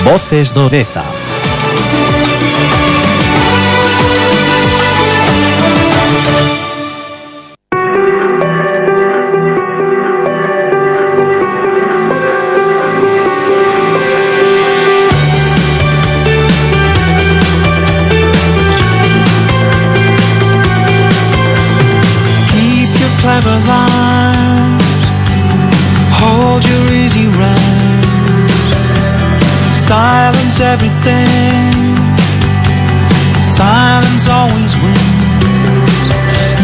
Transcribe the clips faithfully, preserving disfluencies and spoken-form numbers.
Voces do Deza. Clever lines, hold your easy rhymes, silence everything, silence always wins.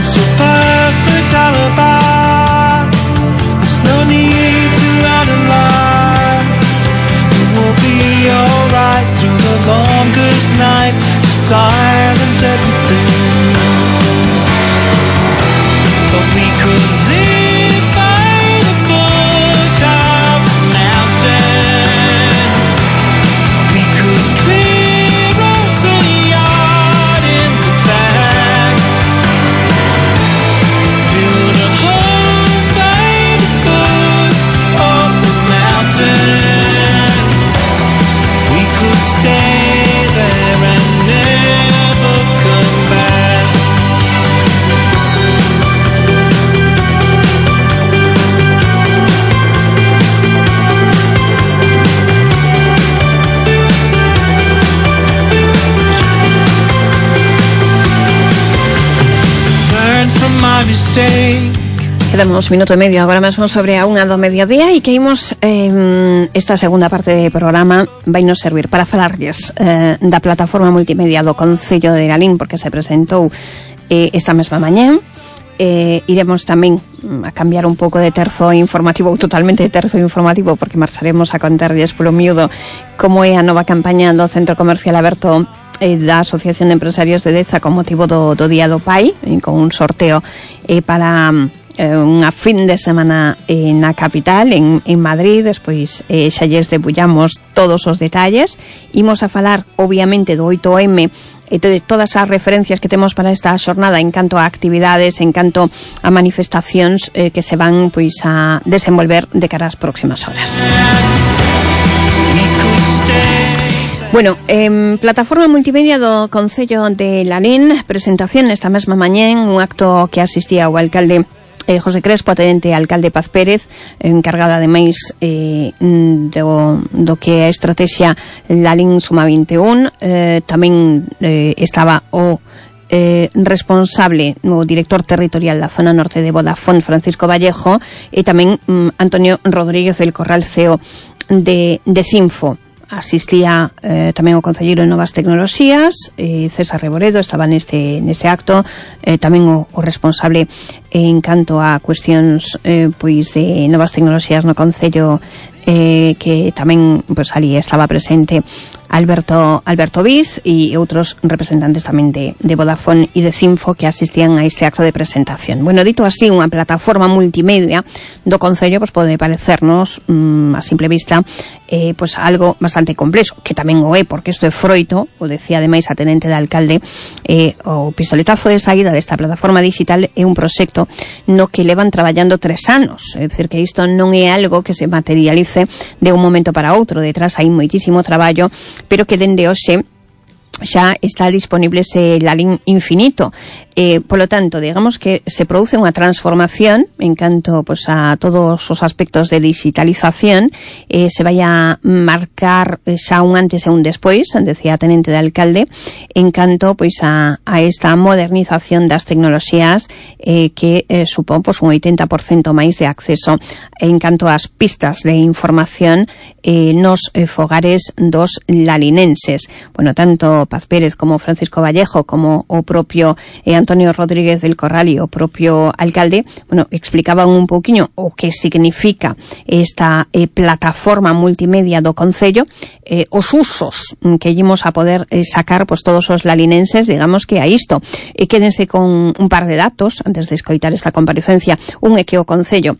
It's a perfect alibi, there's no need to analyze. It will be alright through the longest night. Silence everything. But we could live by the foot of the mountain. We could clear us a yard in the back. Build a home by the foot of the mountain. We could stay there and never come back. Quedamos minuto e medio agora mesmo sobre a unha do mediodía e que imos eh, esta segunda parte do programa vai nos servir para falarlles eh, da plataforma multimedia do Concello de Lalín, porque se presentou eh, esta mesma mañá. Eh, iremos tamén a cambiar un pouco de terzo informativo, ou totalmente de terzo informativo, porque marcharemos a contarlles polo miúdo como é a nova campaña do Centro Comercial Aberto eh, da Asociación de Empresarios de Deza con motivo do, do Día do Pai, eh, con un sorteo eh, para eh, unha fin de semana eh, na capital, en, en Madrid. Despois eh, xa lles debullamos todos os detalles. Imos a falar, obviamente, do oito eme e de todas as referencias que temos para esta xornada en canto a actividades, en canto a manifestacións eh, que se van pois a desenvolver de cara ás próximas horas. Bueno, eh, plataforma multimedia do Concello de Lalín, presentación esta mesma mañá en un acto que asistía o alcalde eh, José Crespo, atendente alcalde Paz Pérez, encargada ademais eh, do, do que é a estrategia Lalín Suma vinte e un. Eh, tamén eh, estaba o eh, responsable, o director territorial da zona norte de Vodafone, Francisco Vallejo, e tamén mm, Antonio Rodríguez del Corral, C E O de, de Cinfo. Asistía eh, tamén o concelleiro de Novas Tecnoloxías, eh, César Reboredo, estaba neste neste acto, eh, tamén o, o responsable en canto a cuestións eh, pois de novas tecnoloxías no concello, eh, que tamén pois ali estaba presente Alberto Alberto Viz e outros representantes tamén de, de Vodafone e de Cinfo que asistían a este acto de presentación. Bueno, dito así, unha plataforma multimedia do concello pois pode parecernos mm, a simple vista eh, pois algo bastante complexo, que tamén o é, porque isto é froito, o decía ademais a tenente de alcalde, eh, o pistoletazo de saída desta plataforma digital é un proxecto no que levan traballando tres anos, é dicir, que isto non é algo que se materialice de un momento para outro. Detrás hai moitísimo traballo, pero que dende hoxe xa está disponible ese Lalín infinito. Eh, polo tanto, digamos que se produce unha transformación en canto pues, a todos os aspectos de digitalización. Eh, se vai a marcar xa un antes e un despois, decía a tenente de alcalde, en canto pues, a, a esta modernización das tecnoloxías eh, que eh, supón pues, un oitenta por cento máis de acceso en canto ás pistas de información eh, nos eh, fogares dos lalinenses. Bueno, tanto Paz Pérez como Francisco Vallejo como o propio eh, Antonio Rodríguez del Corral e o propio alcalde, bueno, explicaban un pouquiño o que significa esta eh, plataforma multimedia do concello, eh, os usos que ímos a poder eh, sacar pues, todos os lalinenses, digamos que a isto. E quédense con un par de datos antes de escoitar esta comparecencia. Un é que o concello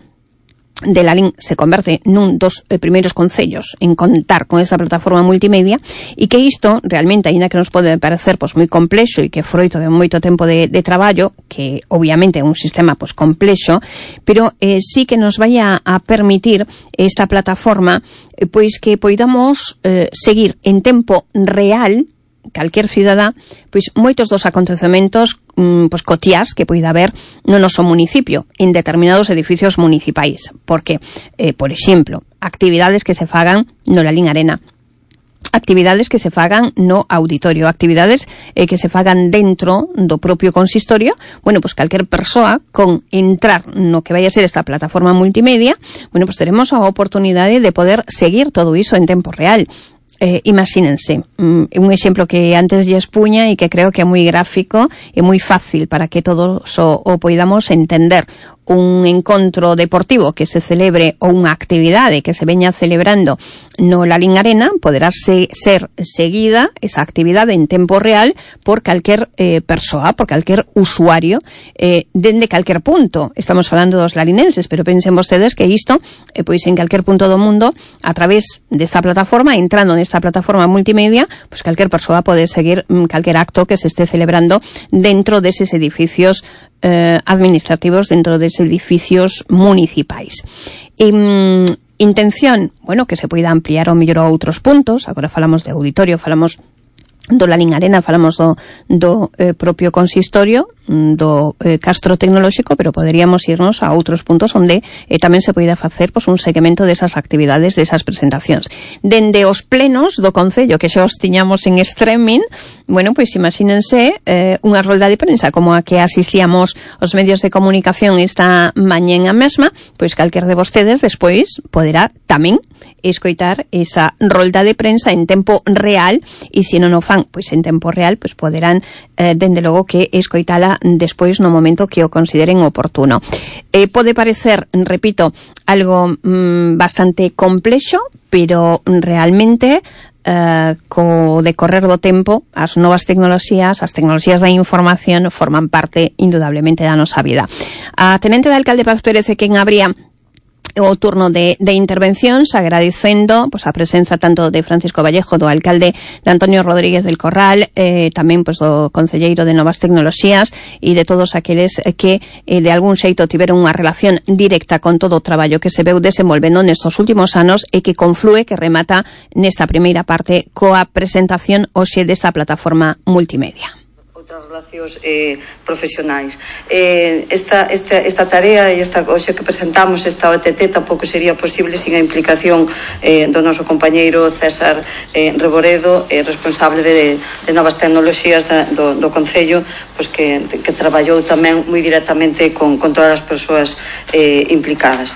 de Lalín se converte nun dos eh, primeiros concellos en contar con esta plataforma multimedia e que isto realmente, aínda que nos pode parecer pues, moi complexo e que froito de moito tempo de, de traballo, que obviamente é un sistema pues, complexo, pero eh, sí que nos vai a, a permitir esta plataforma eh, pois que poidamos eh, seguir en tempo real calquer cidadá, pois moitos dos acontecementos mm, pois cotiás que poida haber no noso municipio, en determinados edificios municipais, porque, eh, por exemplo, actividades que se fagan no Lalín Arena, actividades que se fagan no auditorio, actividades eh, que se fagan dentro do propio consistorio, bueno, pois calquer persoa con entrar no que vai a ser esta plataforma multimedia, bueno, pois teremos a oportunidade de poder seguir todo iso en tempo real. Eh, imagínense, um, un exemplo que antes lle expuña e que creo que é moi gráfico e moi fácil para que todos o, o poidamos entender. Un encontro deportivo que se celebre ou unha actividade que se veña celebrando no Lalín Arena poderá se, ser seguida esa actividade en tempo real por calquer eh, persoa, por calquer usuario eh, dende calquer punto. Estamos falando dos larinenses, pero pensen vostedes que isto eh, pois en calquer punto do mundo a través desta plataforma, entrando nesta plataforma multimedia, pois calquer persoa pode seguir mm, calquer acto que se esté celebrando dentro deses edificios Eh, administrativos, dentro de edificios municipais. E, mm, intención, bueno, que se poida ampliar ao mellor a outros puntos. Agora falamos de auditorio, falamos do Lalín Arena, falamos do, do eh, propio consistorio, do eh, Castro Tecnolóxico, pero poderíamos irnos a outros puntos onde eh, tamén se poida facer pois, un seguimento desas actividades, desas presentacións. Dende os plenos do Concello, que xa os tiñamos en streaming, bueno, pois imagínense eh, unha rolda de prensa como a que asistíamos os medios de comunicación esta mañá mesma, pois calquer de vostedes despois poderá tamén escoitar esa rolda de prensa en tempo real, e se non o fan pois en tempo real, pois poderán eh, dende logo que escoitala despois no momento que o consideren oportuno. Eh, pode parecer, repito, algo mm, bastante complexo, pero realmente Uh, co decorrer do tempo as novas tecnoloxías, as tecnoloxías da información forman parte indudablemente da nosa vida. A tenente de alcalde Paz Pérez é quen abría o turno de, de intervencións, agradecendo pues, a presenza tanto de Francisco Vallejo, do alcalde, de Antonio Rodríguez del Corral, eh, tamén pues, do concelleiro de Novas Tecnoloxías e de todos aqueles que eh, de algún xeito tiveron unha relación directa con todo o traballo que se veu desenvolvendo nestos últimos anos e que conflúe, que remata nesta primeira parte coa presentación hoxe desta plataforma multimedia. Outras relacións eh, profesionais. Eh, esta, esta, esta tarea e esta hoxe que presentamos, esta O T T, tampouco sería posible sin a implicación eh, do noso compañeiro César eh, Reboredo, eh, responsable de, de novas tecnoloxías da, do, do Concello, pois que, que traballou tamén moi directamente con, con todas as persoas eh, implicadas.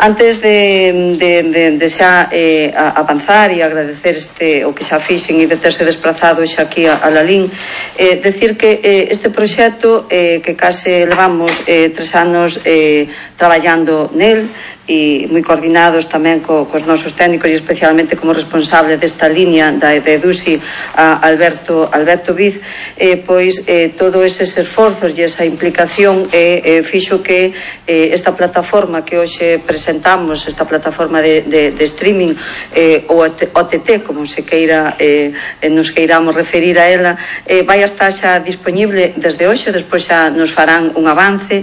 Antes de, de, de, de xa eh, avanzar e agradecer este, o que xa fixen e de terse desplazado xa aquí a, a Lalín, eh, decir que eh, este proxecto eh, que case levamos eh, tres anos eh, traballando nel e moi coordinados tamén co, cos nosos técnicos e especialmente como responsable desta línea da de EDUSI a Alberto, Alberto Viz, eh, pois eh, todos eses esforzos e esa implicación eh, eh, fixo que eh, esta plataforma que hoxe presentamos, esta plataforma de, de, de streaming eh, o O T T, como se queira eh, nos queiramos referir a ela, eh, vai a estar xa disponible desde hoxe, despois xa nos farán un avance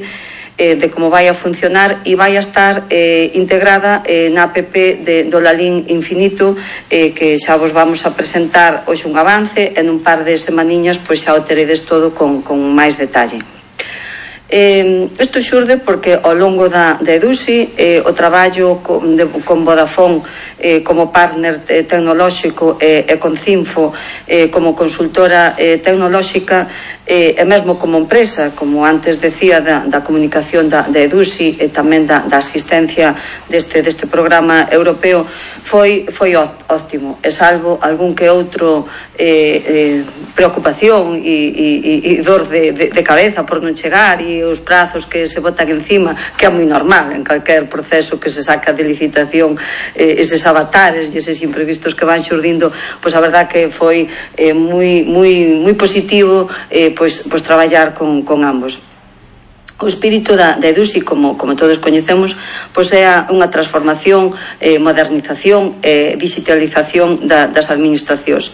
Eh, de como vai a funcionar e vai a estar eh, integrada eh, na app de, do Lalín Infinito, eh, que xa vos vamos a presentar hoxe un avance, en un par de semaniñas pois xa o teredes todo con, con máis detalle. Eh, isto xurde porque ao longo da, da EDUSI eh, o traballo con, de, con Vodafone eh, como partner eh, tecnolóxico eh, e con Cinfo eh, como consultora eh, tecnolóxica eh, e mesmo como empresa, como antes decía da, da comunicación da, da EDUSI e tamén da, da asistencia deste, deste programa europeo, foi, foi óptimo, e salvo algún que outro eh, eh, preocupación e, e, e dor de, de, de cabeza por non chegar e os prazos que se botan encima, que é moi normal en calquer proceso que se saca de licitación, eh, eses avatares e eses imprevistos que van xurdindo, pois a verdad que foi eh, moi, moi, moi positivo eh, pois, pois traballar con, con ambos. O espírito da, da EDUSI, como, como todos coñecemos, pois é unha transformación, eh, modernización e eh, digitalización da, das administracións.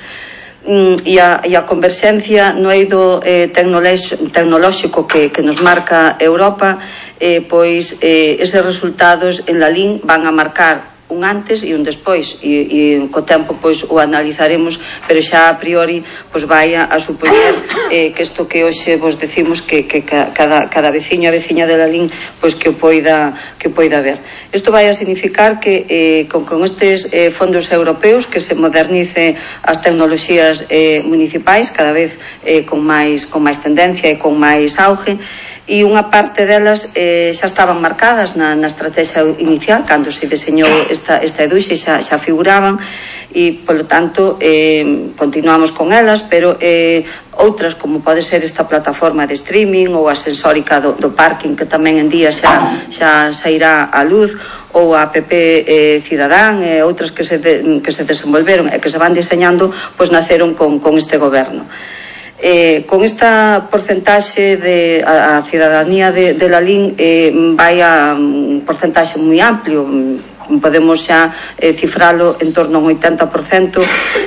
E a, e a converxencia no eido eh, tecnolóxico que, que nos marca Europa, eh, pois eh, eses resultados en Lalín van a marcar un antes e un despois, e, e co tempo pois o analizaremos, pero xa a priori pois vai a, a supoñer eh, que isto que hoxe vos decimos que, que cada, cada veciño a veciña de Lalín pois que o poida, que o poida ver. Isto vai a significar que eh, con, con estes eh, fondos europeos que se modernice as tecnoloxías eh, municipais cada vez eh, con máis con máis tendencia e con máis auge, e unha parte delas eh, xa estaban marcadas na, na estrategia inicial cando se deseñou esta, esta eduxe, xa, xa figuraban, e polo tanto eh, continuamos con elas, pero eh, outras como pode ser esta plataforma de streaming ou a sensórica do, do parking que tamén en día xa, xa sairá á luz, ou a app eh, Cidadán e outras que se, de, que se desenvolveron e que se van diseñando, pois naceron con, con este goberno. Eh, con esta porcentaxe de a, a cidadanía de, de Lalín eh, vai a un porcentaxe moi amplio, podemos xa eh, cifralo en torno a un oitenta por cento,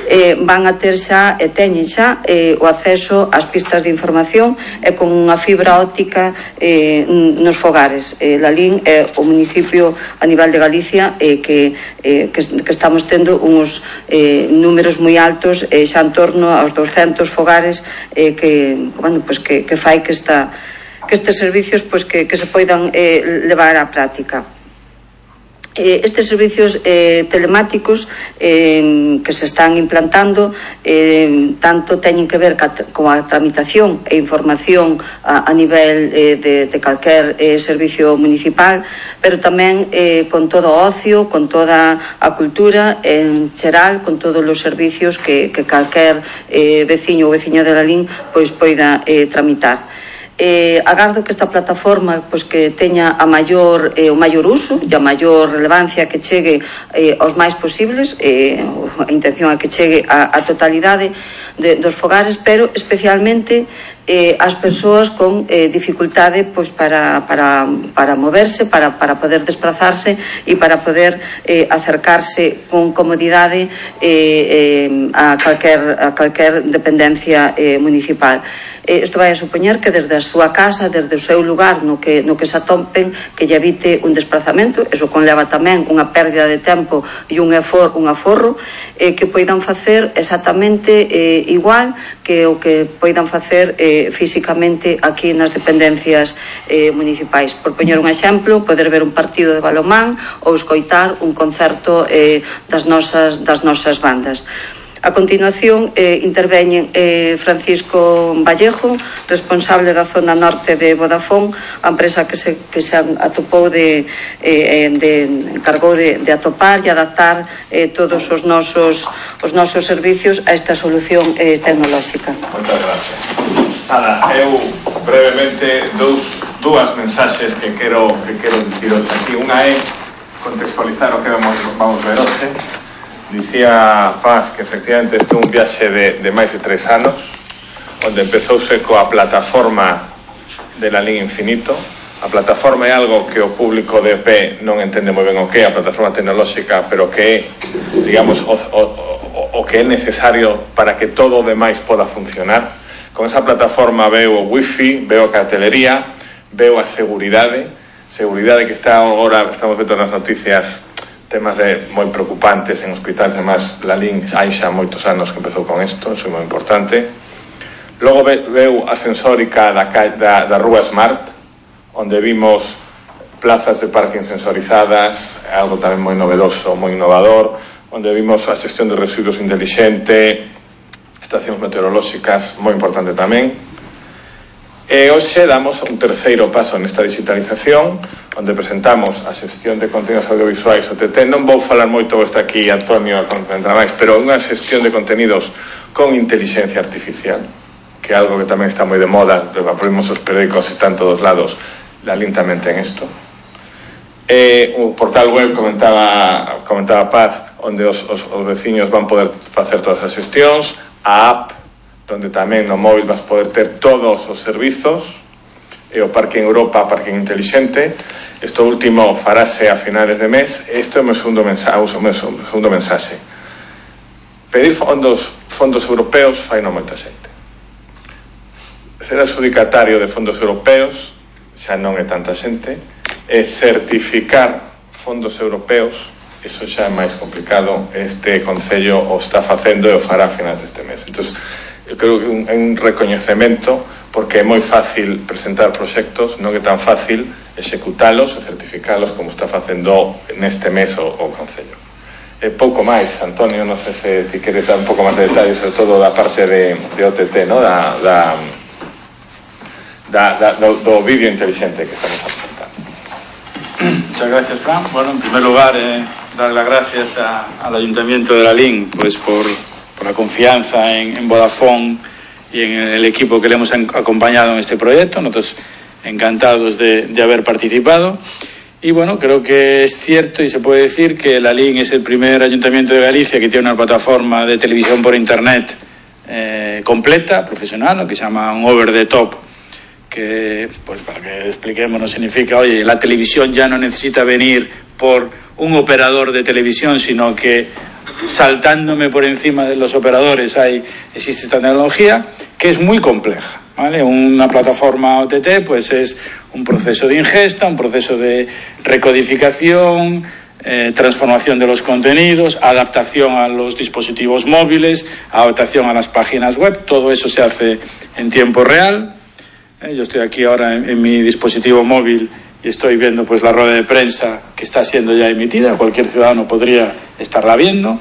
eh, van a ter xa e teñen xa eh, o acceso ás pistas de información e con unha fibra óptica eh, nos fogares. eh, Lalín é o municipio a nivel de Galicia eh, que, eh, que, que estamos tendo uns eh, números moi altos, eh, xa en torno aos douscentos fogares eh, que, bueno, pues que, que fai que, esta, que estes servicios pues que, que se poidan eh, levar á práctica. Estes servicios eh, telemáticos eh, que se están implantando eh, tanto teñen que ver ca, con a tramitación e información a, a nivel eh, de, de calquer eh, servicio municipal, pero tamén eh, con todo o ocio, con toda a cultura en xeral, con todos os servicios que, que calquer eh, veciño ou veciña de Lalín pois poida eh, tramitar. Eh, agardo que esta plataforma pois, que teña a maior, eh, o maior uso e a maior relevancia, que chegue eh, aos máis posibles, eh, a intención é que chegue a, a totalidade de, dos fogares, pero especialmente eh, as persoas con eh, dificultade pois, para, para, para moverse, para, para poder desplazarse e para poder eh, acercarse con comodidade eh, eh, a, calquer, a calquer dependencia eh, municipal. Eh, isto vai a supoñer que desde a súa casa, desde o seu lugar no que, no que se atopen, que lle evite un desplazamento, eso conleva tamén unha pérdida de tempo e un, efor, un aforro, eh, que poidan facer exactamente eh, igual que o que poidan facer eh, físicamente aquí nas dependencias eh, municipais. Por poñer un exemplo, poder ver un partido de balonmán ou escoitar un concerto eh, das, nosas, das nosas bandas. A continuación eh, interveñen eh, Francisco Vallejo, responsable da zona norte de Vodafone, a empresa que se, que se atopou de, eh, de encargou de, de atopar e adaptar eh, todos os nosos, os nosos servicios a esta solución eh, tecnolóxica. Moitas gracias. Nada, eu brevemente dous, dúas mensaxes que quero, que quero diciros aquí. Unha é contextualizar o que vamos, vamos ver hoxe. Dicía Paz que efectivamente este é un viaxe de, de máis de tres anos, onde empezouse coa plataforma de Lalín Infinito. A plataforma é algo que o público de E P non entende moi ben o que é a plataforma tecnolóxica, pero que é, digamos, o, o, o, o que é necesario para que todo o demais poda funcionar. Con esa plataforma veo o wifi, veo a cartelería, veo a seguridade, seguridade que está agora, estamos vendo nas noticias, temas de moi preocupantes en hospitais, además Lalín hai xa moitos anos que empezou con isto, eso é moi importante. Logo ve, veu a sensórica da, da, da Rúa Smart, onde vimos plazas de parking sensorizadas, algo tamén moi novedoso, moi innovador, onde vimos a xestión de residuos inteligente, estacións meteorolóxicas, moi importante tamén. E hoxe damos un terceiro paso nesta digitalización, onde presentamos a xestión de contenidos audiovisuais O T T. Non vou falar moito, está aquí Antonio a concentrar máis, pero unha xestión de contenidos con inteligencia artificial, que é algo que tamén está moi de moda, abrimos os periódicos e están todos lados. Lalín tamén ten isto. E o portal web comentaba, comentaba Paz, onde os, os, os veciños van poder facer todas as xestións, a app, donde tamén no móvil vas poder ter todos os servizos, e o Parking Europa, Parking Inteligente. Isto último farase a finales de mes. Isto é o meu segundo mensaxe, o meu segundo mensaxe. Pedir fondos, fondos europeos fai non moita xente. Ser adjudicatario de fondos europeos xa non é tanta xente, e certificar fondos europeos eso xa é máis complicado. Este Concello o está facendo e o fará a finais deste mes. Entón, eu creo que é un recoñecemento, porque é moi fácil presentar proxectos, non é tan fácil executalos e certificalos como está facendo neste mes o, o Concello. E pouco máis, Antonio, non sei se ti queres dar un pouco máis de detalles, sobre todo da parte de, de O T T, no? da, da, da, da, do, do vídeo inteligente que estamos presentando. Muchas gracias, Fran. Bueno, en primer lugar, eh, dar las gracias a, al Ayuntamiento de Lalín pues por, por la confianza en, en Vodafone y en el equipo que le hemos acompañado en este proyecto. Nosotros encantados de, de haber participado. Y bueno, creo que es cierto y se puede decir que Lalín es el primer ayuntamiento de Galicia que tiene una plataforma de televisión por internet eh, completa, profesional, lo que se llama un over the top, que, pues para que expliquemos, no significa, oye, la televisión ya no necesita venir por un operador de televisión, sino que saltándome por encima de los operadores hay, existe esta tecnología que es muy compleja, ¿vale? Una plataforma O T T pues es un proceso de ingesta, un proceso de recodificación, eh, transformación de los contenidos, adaptación a los dispositivos móviles, adaptación a las páginas web. Todo eso se hace en tiempo real. Eh, yo estoy aquí ahora en, en mi dispositivo móvil y estoy viendo pues la rueda de prensa que está siendo ya emitida. Cualquier ciudadano podría estarla viendo.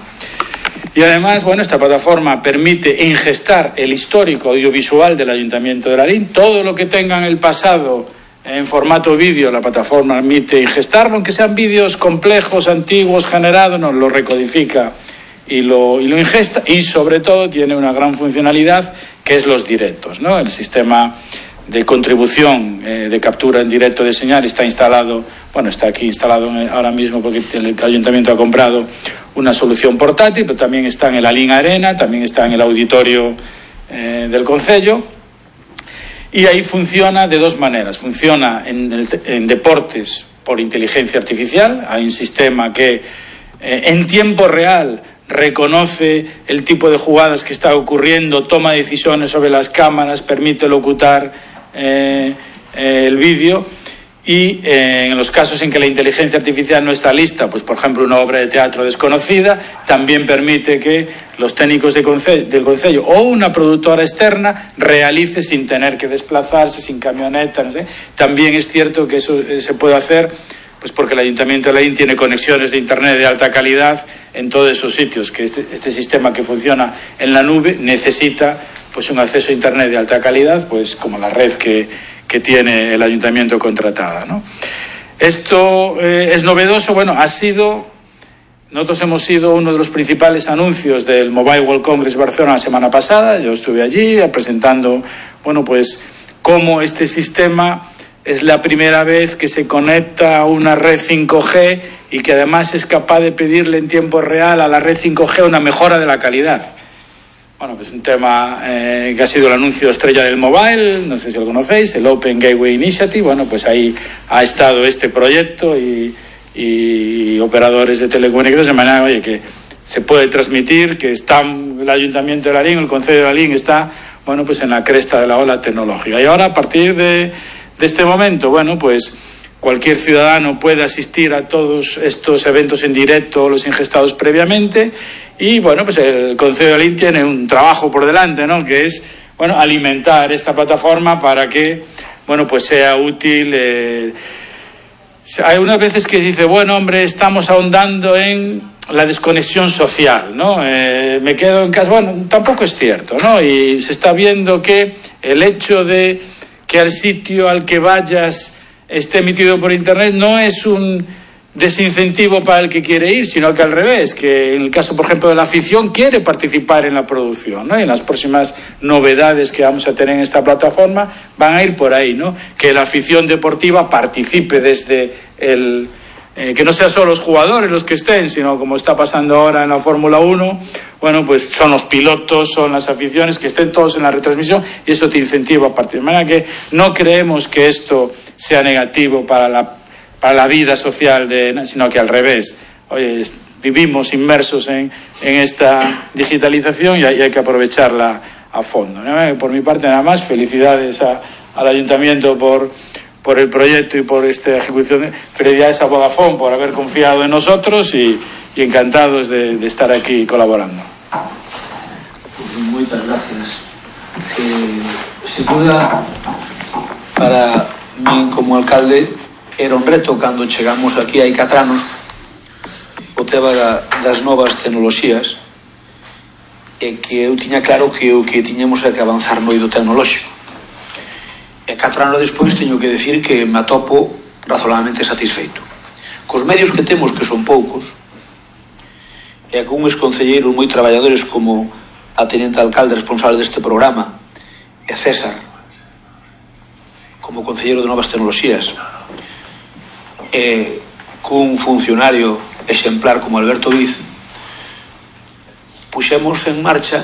Y además, bueno, esta plataforma permite ingestar el histórico audiovisual del Ayuntamiento de Lalín. Todo lo que tenga en el pasado en formato vídeo, la plataforma permite ingestarlo, aunque sean vídeos complejos, antiguos, generados, nos lo recodifica y lo, y lo ingesta. Y sobre todo tiene una gran funcionalidad que es los directos, ¿no? El sistema de contribución, eh, de captura en directo de señal está instalado, bueno, está aquí instalado ahora mismo porque el Ayuntamiento ha comprado una solución portátil, pero también está en el Lalín Arena, también está en el auditorio eh, del Concello, y ahí funciona de dos maneras. Funciona en, el, en deportes por inteligencia artificial. Hay un sistema que eh, en tiempo real reconoce el tipo de jugadas que está ocurriendo, toma decisiones sobre las cámaras, permite locutar eh, eh, el vídeo. Y eh, en los casos en que la inteligencia artificial no está lista, pues por ejemplo una obra de teatro desconocida, también permite que los técnicos de conce- del Concello o una productora externa realice sin tener que desplazarse, sin camioneta, no sé. También es cierto que eso eh, se puede hacer pues porque el Ayuntamiento de Lalín tiene conexiones de internet de alta calidad en todos esos sitios, que este, este sistema que funciona en la nube necesita pues un acceso a internet de alta calidad, pues como la red que, que tiene el Ayuntamiento contratada, ¿no? Esto eh, es novedoso. Bueno, ha sido, nosotros hemos sido uno de los principales anuncios del Mobile World Congress Barcelona la semana pasada. Yo estuve allí presentando, bueno, pues cómo este sistema es la primera vez que se conecta a una red cinco G y que además es capaz de pedirle en tiempo real a la red cinco G una mejora de la calidad. Bueno, pues un tema eh, que ha sido el anuncio estrella del mobile, no sé si lo conocéis, el Open Gateway Initiative. Bueno, pues ahí ha estado este proyecto y, y operadores de telecomunicaciones, de manera, oye, que se puede transmitir que está el Ayuntamiento de Lalín, el Concello de Lalín está, bueno, pues en la cresta de la ola tecnológica. Y ahora, a partir de de este momento, bueno, pues cualquier ciudadano puede asistir a todos estos eventos en directo, los ingestados previamente, y bueno, pues el Concello de Lalín tiene un trabajo por delante, ¿no? Que es, bueno, alimentar esta plataforma para que, bueno, pues sea útil. Eh... Hay unas veces que se dice, bueno, hombre, estamos ahondando en la desconexión social, ¿no? Eh, me quedo en casa. Bueno, tampoco es cierto, ¿no? Y se está viendo que el hecho de que al sitio al que vayas esté emitido por internet no es un desincentivo para el que quiere ir, sino que al revés, que en el caso, por ejemplo, de la afición, quiere participar en la producción, ¿no? Y en las próximas novedades que vamos a tener en esta plataforma van a ir por ahí, ¿no? Que la afición deportiva participe desde el... Eh, que no sean solo los jugadores los que estén, sino como está pasando ahora en la Fórmula uno, bueno, pues son los pilotos, son las aficiones, que estén todos en la retransmisión, y eso te incentiva a partir. De manera que no creemos que esto sea negativo para la, para la vida social, de, sino que al revés. Oye, vivimos inmersos en, en esta digitalización y hay, y hay que aprovecharla a fondo, ¿no? Por mi parte, nada más, felicidades a, al Ayuntamiento por por el proyecto y por esta ejecución. Felicidades a Vodafone por haber confiado en nosotros y, y encantados de, de estar aquí colaborando. Muchas gracias. Eh, sin duda, para mí como alcalde era un reto cando chegamos aquí hai catro anos o tema da, das novas tecnoloxías, e que eu tiña claro que o que tiñamos é que avanzar no eido tecnolóxico. E catro anos despois teño que decir que me atopo razonablemente satisfeito cos medios que temos, que son poucos, e con uns concelleiros moi traballadores como a teniente alcalde responsable deste programa, e César como concelleiro de novas tecnoloxías, e cun funcionario exemplar como Alberto Viz, puxemos en marcha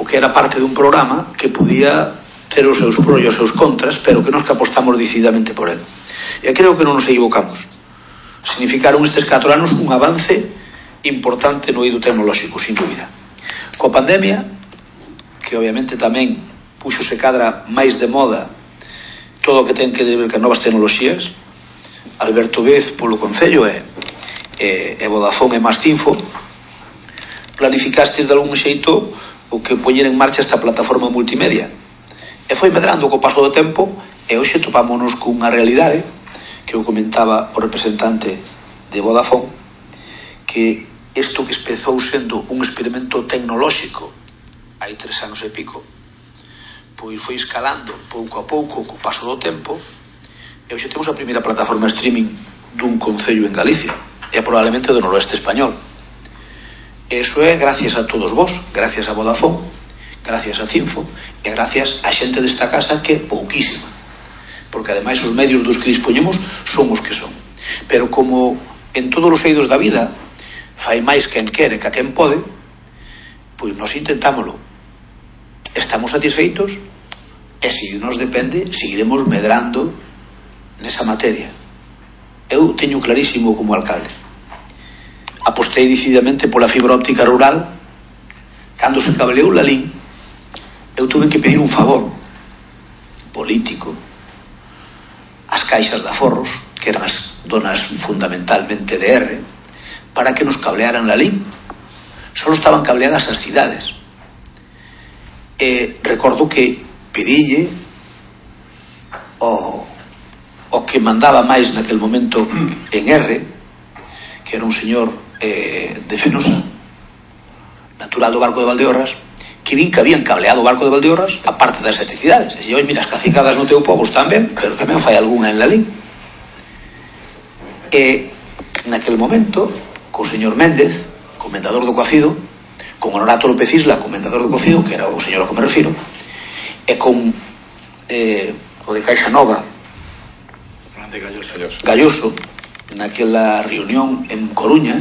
o que era parte dun programa que podía ter os seus pros e os seus contras, pero que nos que apostamos decididamente por él. E creo que non nos equivocamos. Significaron estes catro anos un avance importante no eido tecnolóxico, sin dúbida. Coa pandemia, que obviamente tamén puxose cadra máis de moda todo o que ten que ver con novas tecnoloxías, Alberto Vez polo Concello e, e, e Vodafone e Mastinfo planificastes de algún xeito o que poñer en marcha esta plataforma multimedia, e foi medrando co paso do tempo, e hoxe topámonos cunha realidade que eu comentaba o representante de Vodafone, que isto que empezou sendo un experimento tecnolóxico hai tres anos e pico, pois foi escalando pouco a pouco co paso do tempo, e hoxe temos a primeira plataforma streaming dun concello en Galicia, e probablemente do noroeste español. E iso é gracias a todos vos, gracias a Vodafone, gracias a Cinfo, e gracias a xente desta casa, que é pouquísima, porque ademais os medios dos que dispoñemos son os que son. Pero como en todos os eidos da vida fai máis quen quere que a quen pode, pois nós intentámoslo. Estamos satisfeitos, e se nos depende seguiremos medrando nesa materia. Eu teño clarísimo como alcalde, apostei decididamente pola fibra óptica rural. Cando se cableou la LIN, eu tuve que pedir un favor político ás caixas de aforros, que eran as donas fundamentalmente de R, para que nos cablearan la LIN. Solo estaban cableadas as cidades. E recordo que pedille o, o que mandaba máis naquel momento en R, que era un señor eh, de Fenosa, natural do Barco de Valdeorras, que vin que habían cableado o Barco de Valdeorras a parte das sete cidades. E dixen, mira, as cacicadas no teu povo están ben, pero tamén fai algunha en la LIN. E naquel momento, co señor Méndez, comendador do Cocido, con Honorato López Isla, comendador do Cocido, que era o señor ao que me refiro, e con eh, o de Caixa Nova, Galloso, Galloso, naquela reunión en Coruña,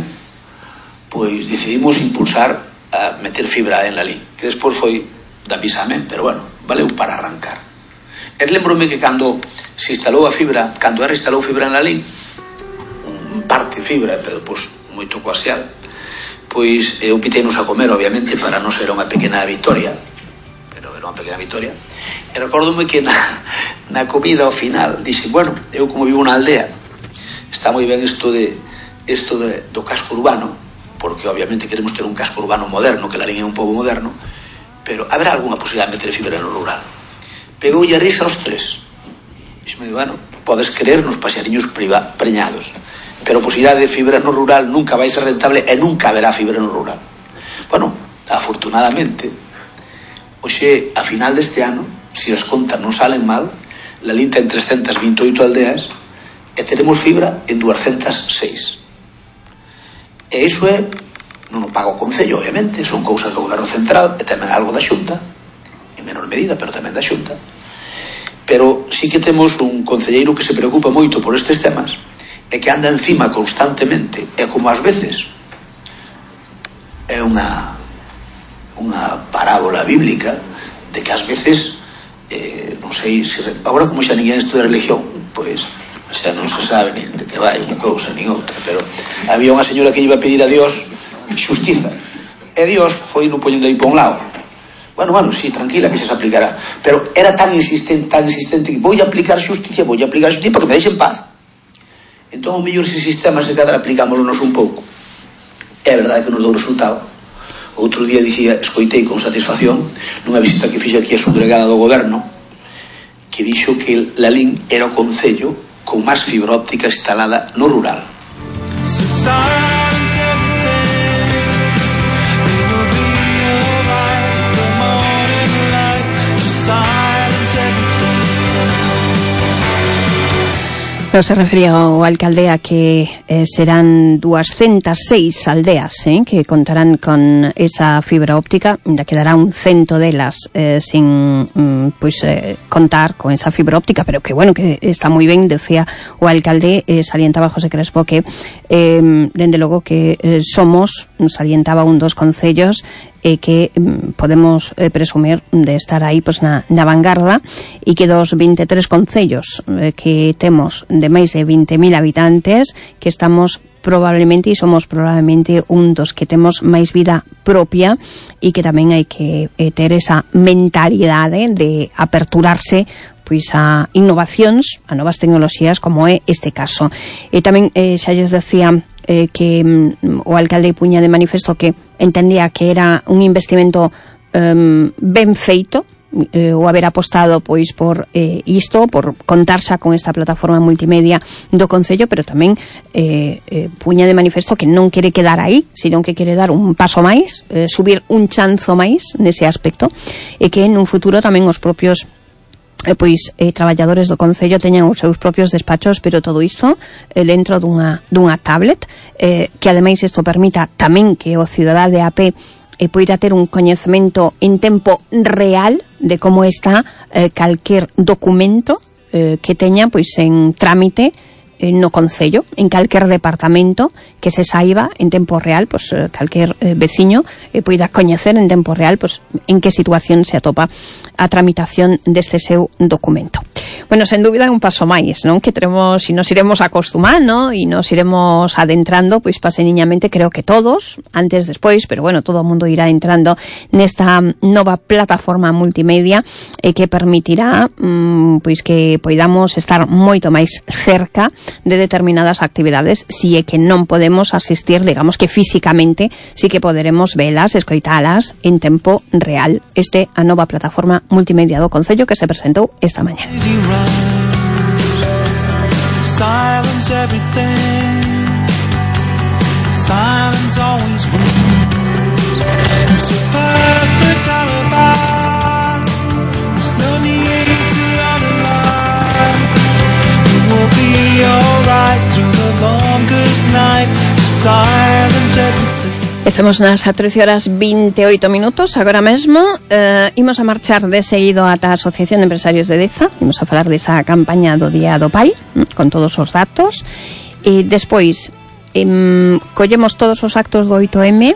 pois decidimos impulsar a meter fibra en la LIN, que despois foi da bisamen, pero bueno, valeu para arrancar. E lembrome que cando se instalou a fibra, cando era instalou fibra en la LIN, un parte fibra, pero pois moito coaxial, pois eu piteinos a comer, obviamente, para non ser unha pequena victoria, pero era unha pequena victoria. E recórdome que na, na comida ao final dixen, bueno, eu como vivo na aldea, está moi ben isto de isto de, do casco urbano, porque obviamente queremos ter un casco urbano moderno, que la LIN é un pobo moderno, pero haberá algunha posibilidade de meter fibra no rural. Pegou e a risa aos tres. Dixeme, bueno, podes querer nos paxariños priva, preñados, pero a posibilidade de fibra no rural nunca vai ser rentable e nunca haberá fibra no rural. Bueno, afortunadamente, hoxe, a final deste ano, se as contas non salen mal, la LIN ten trescentas veinte e oito aldeas e teremos fibra en duascentas seis. E iso é, non o paga o Concello, obviamente, son cousas do Goberno Central e tamén algo da Xunta, en menor medida, pero tamén da Xunta. Pero sí que temos un concelleiro que se preocupa moito por estes temas e que anda encima constantemente, e como ás veces é unha unha parábola bíblica de que ás veces eh, non sei se agora como xa ninguén estuda religión, pois xa non se sabe nin de que vai unha cousa nin outra, pero había unha señora que iba a pedir a Dios xustiza, e Dios foi no poñendo aí por un lado, Bueno, bueno, sí, tranquila, que se aplicará. Pero era tan insistente, tan insistente que voy a aplicar xusticia, voy a aplicar xusticia para que me deixen paz. Entón, o mellor ese sistema se cadra aplicámoslo un pouco. É verdade que nos dou resultado. Outro día dicía, escoitei con satisfacción nunha visita que fixe aquí a subdelegada do goberno, que dixo que Lalín era o concello con máis fibra óptica instalada no rural. Pero se refería o alcalde a que eh, serán doscientas seis aldeas eh, que contarán con esa fibra óptica, ainda quedará un cento delas eh, sin mm, pues, eh, contar con esa fibra óptica, pero que bueno, que está moi ben, decía o alcalde, eh, salientaba José Crespo que eh, dende logo que eh, somos, salientaba un dos concellos e que mm, podemos eh, presumir de estar aí pues, na, na vanguarda, e que dos veintitrés concellos eh, que temos de máis de veinte mil habitantes, que estamos probablemente e somos probablemente un dos que temos máis vida propia, e que tamén hai que eh, ter esa mentalidade de aperturarse pois a innovacións, a novas tecnoloxías, como é este caso. E tamén eh, xa lles decía eh, que mm, o alcalde puña de manifesto que entendía que era un investimento um, ben feito, eh, o haber apostado pois por eh, isto, por contar xa con esta plataforma multimedia do Concello, pero tamén eh, eh, puña de manifesto que non quere quedar aí, sino que quere dar un paso máis, eh, subir un chanzo máis nese aspecto, e que en un futuro tamén os propios Eh, pois eh, traballadores do Concello teñan os seus propios despachos, pero todo isto eh, dentro dunha, dunha tablet, eh, que ademais isto permita tamén que o cidadá de a pé eh, poida ter un coñecemento en tempo real de como está eh, calquer documento eh, que teña pois en trámite eh, no Concello, en calquer departamento, que se saiba en tempo real, pois eh, calquer eh, veciño eh, poida coñecer en tempo real pois en que situación se atopa a tramitación deste seu documento. Bueno, sen dúbida é un paso máis, non? Que teremos, e nos iremos acostumando e nos iremos adentrando, pois paseniñamente, creo que todos, antes, despois, pero bueno, todo o mundo irá entrando nesta nova plataforma multimedia eh, que permitirá mm, pois que poidamos estar moito máis cerca de determinadas actividades, si é que non podemos asistir, digamos que físicamente, si que poderemos velas, escoitalas en tempo real. Este a nova plataforma multimedia do Concello que se presentou esta mañá. Silence everything. Silence always wins. It's a perfect alibi. There's no need to underline. It will be alright through the longest night. Silence everything. Estamos nas trece horas veintioito minutos agora mesmo. eh, imos a marchar de seguido ata a Asociación de Empresarios de Deza. Imos a falar desa campaña do Día do Pai, con todos os datos, e despois em, collemos todos os actos do oito eme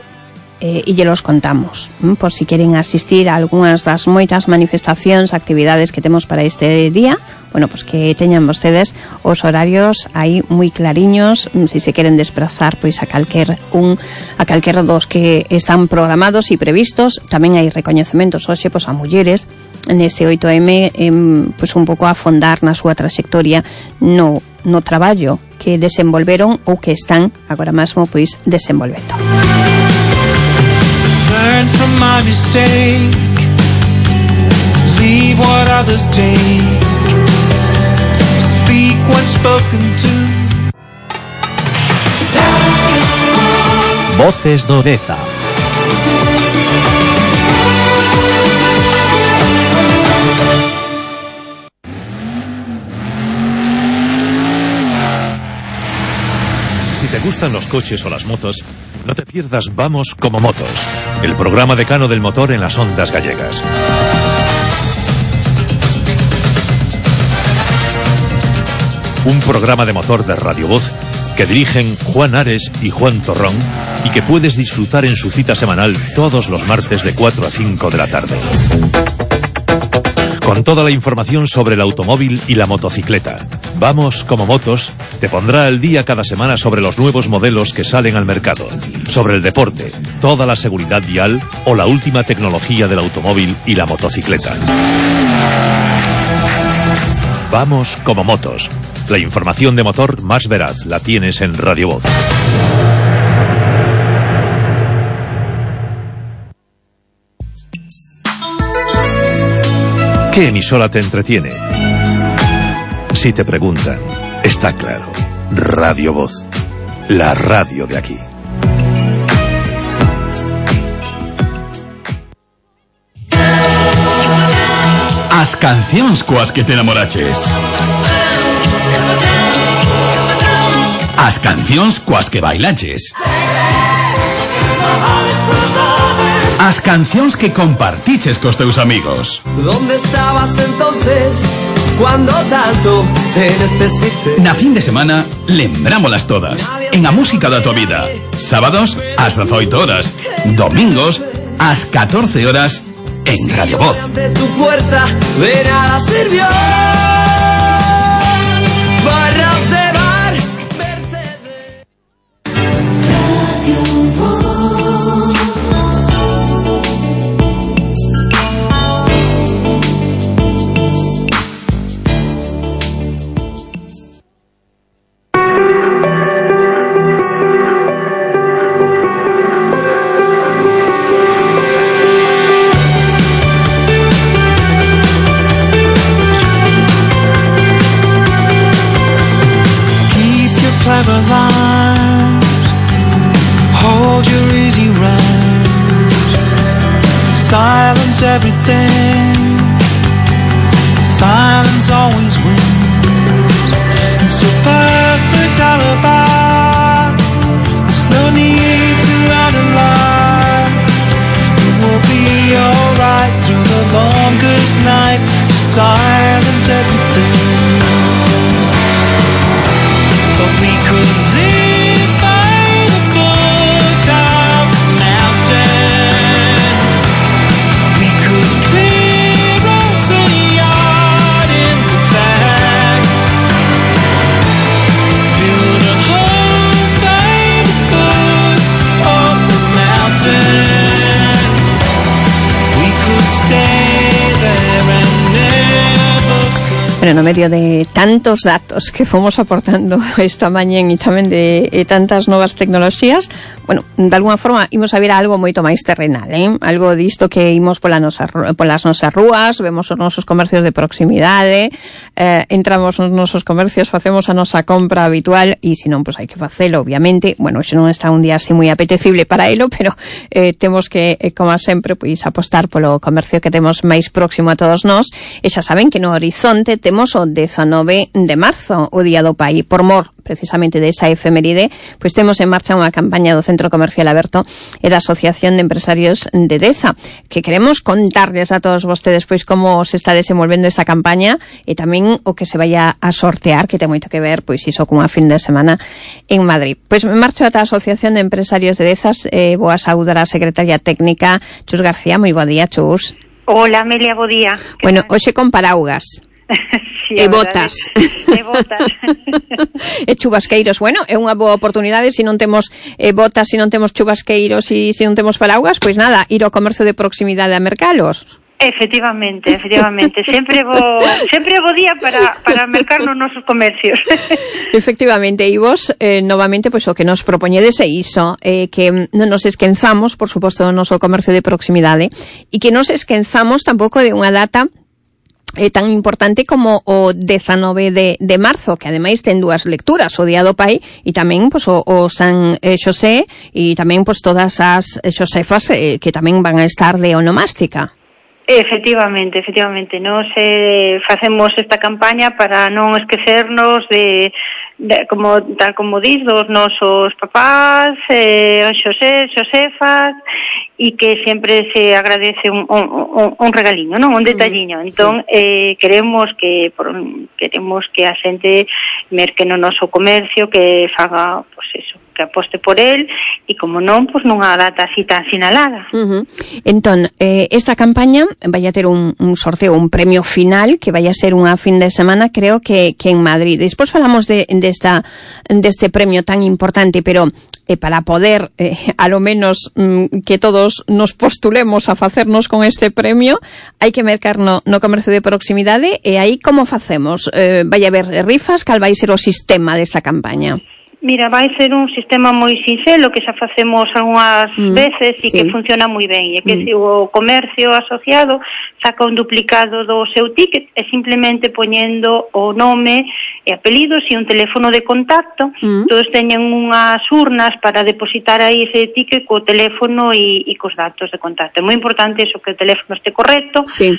eh, e lle los contamos, mm, por si queren asistir a algunhas das moitas manifestacións, actividades que temos para este día. Bueno, pues que teñan vostedes os horarios aí moi clariños, se se queren desplazar pois a calquer un a calquer dos que están programados e previstos. Tamén hai recoñecementos hoxe pois a mulleres neste oito eme, em, pois un pouco a afondar na súa traxectoria no no traballo que desenvolveron ou que están agora mesmo pois desenvolvendo. Learn from my mistake. Leave what others take. Speak when spoken to. Voces do Deza. Si te gustan los coches o las motos, no te pierdas Vamos como Motos, el programa decano del motor en las ondas gallegas. Un programa de motor de Radio Voz que dirigen Juan Ares y Juan Torrón y que puedes disfrutar en su cita semanal todos los martes de cuatro a cinco de la tarde. Con toda la información sobre el automóvil y la motocicleta. Vamos como Motos Te pondrá al día cada semana sobre los nuevos modelos que salen al mercado, sobre el deporte, toda la seguridad vial o la última tecnología del automóvil y la motocicleta. Vamos como motos. La información de motor más veraz la tienes en Radio Voz. ¿Qué emisora te entretiene? Si te preguntan, está claro. Radio Voz, la radio de aquí. As cancións coas que te enamoraches. As cancións coas que bailaches. As cancións que compartiches cos teus amigos. ¿Dónde estabas entonces cuando tanto te necesité? Na fin de semana, lembrámolas todas. En a música da tua vida. Sábados, ás dezoito horas. Domingos, ás catorce horas, en Radio Voz. Ante tu puerta de nada sirvió. Barras de bar, verte de... Radio Voz. Clever lines, hold your easy rhymes, silence everything, silence always wins. It's a perfect alibi, there's no need to run a lie. It will be alright through the longest night, just silence everything. But we could live by the foot of the mountain. We could clear us a yard in the back. Build a home by the foot of the mountain. We could stay there and never. Bueno, no medio de tantos datos que fomos aportando esta mañén e tamén de e tantas novas tecnoloxías, bueno, de alguna forma imos a ver algo moito máis terrenal, eh? Algo disto que imos pola nosa, polas nosas rúas, vemos os nosos comercios de proximidade, eh, entramos nos nosos comercios, facemos a nosa compra habitual e se non, pois hai que facelo, obviamente. Bueno, xe non está un día así moi apetecible para elo, pero eh, temos que, eh, como sempre, pois apostar polo comercio que temos máis próximo a todos nós, e xa saben que no horizonte temos o dezanove de marzo, o Día do Pai. Por mor precisamente desa efeméride, pois temos en marcha unha campaña do Centro Comercial Aberto e da Asociación de Empresarios de Deza, que queremos contarles a todos vostedes pois como se está desenvolvendo esta campaña e tamén o que se vaya a sortear, que ten moito que ver pois iso cunha fin de semana en Madrid. Pois me marcho ata a Asociación de Empresarios de Dezas, eh, boa saúde a secretaria técnica Chus García. Moi bo día, Chus. Hola, Amelia, bo día. Bueno, hoxe con paraugas. Sí, e botas. E botas. E chubasqueiros. Bueno, é unha boa oportunidade se non temos eh, botas, se non temos chubasqueiros e se non temos paraugas, pois nada, ir ao comercio de proximidade a mercalos. Efectivamente, efectivamente. Sempre bo, sempre bo día para, para mercar nos nosos comercios. Efectivamente, e vos, eh, novamente, pois o que nos propoñedes é iso, eh, que non nos esquenzamos, por suposto, do noso comercio de proximidade, e que non nos esquenzamos tampouco de unha data é tan importante como o dezanove de, de marzo, que ademais ten dúas lecturas, o Día do Pai e tamén pois, o, o San eh, Xosé e tamén pois, todas as xosefas eh, que tamén van a estar de onomástica. Efectivamente, efectivamente, nos eh, facemos esta campaña para non esquecernos de, de como tal como dis, dos nosos papás, eh, Xosé, Xosefas, e que sempre se agradece un, un, un, un regaliño, non? Un detalliño. Entón, sí. eh, queremos que por, queremos que a xente merque no noso comercio, que faga, pois eso, que aposte por el e, como non, pois nunha data así tan sinalada. Uh-huh. Entón, eh, esta campaña vai a ter un, un sorteo, un premio final que vai a ser unha fin de semana, creo que, que en Madrid. Despois falamos de, de esta, deste premio tan importante, pero eh, para poder, eh, a lo menos, mm, que todos nos postulemos a facernos con este premio, hai que mercar no, no comercio de proximidade, e aí como facemos? Eh, vai haber rifas? Cal vai ser o sistema desta campaña? Mira, vai ser un sistema moi sinxelo que xa facemos algunhas mm, veces e sí. que funciona moi ben. E que mm. se o comercio asociado saca un duplicado do seu ticket e simplemente poñendo o nome e apelidos e un teléfono de contacto, mm. todos teñen unhas urnas para depositar aí ese ticket co teléfono e, e cos datos de contacto. É moi importante eso, que o teléfono este correcto, sí.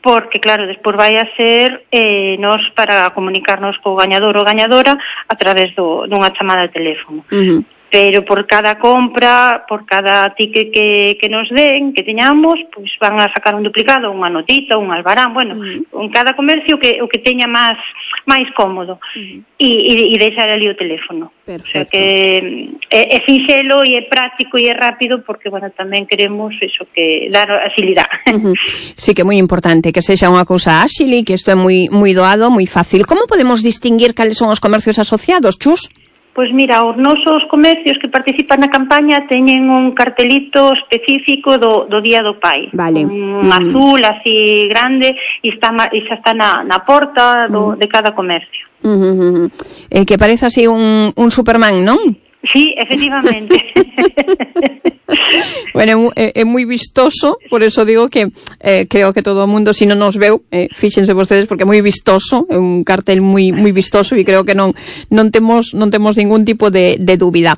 porque, claro, despois vai a ser eh, nos para comunicarnos co gañador ou gañadora a través do, dunha chamada de teléfono. Uh-huh. Pero por cada compra, por cada ticket que, que nos den, que teñamos, pois van a sacar un duplicado, unha notita, un albarán, bueno, uh-huh. en cada comercio que, o que teña máis máis cómodo, uh-huh. e, e, e deixar ali o teléfono. Perfecto. O sea que é, é sinxelo e é práctico e é rápido, porque, bueno, tamén queremos eso, que dar agilidade. Uh-huh. Sí, que é moi importante que sexa unha cousa áxil e que isto é moi moi doado, moi fácil. Como podemos distinguir cales son os comercios asociados, Chus? Pois mira, os nosos comercios que participan na campaña teñen un cartelito específico do, do Día do Pai. Vale. Un mm. azul así grande e, está, e xa está na, na porta do, mm. de cada comercio. Mm-hmm. Eh, que parece así un, un Superman, non? Sí, efectivamente. Bueno, é, é moi vistoso, por eso digo que eh, creo que todo o mundo, se si non nos veu, eh, fíxense vostedes, porque é moi vistoso, é un cartel moi moi vistoso e creo que non non temos non temos ningún tipo de, de dúbida.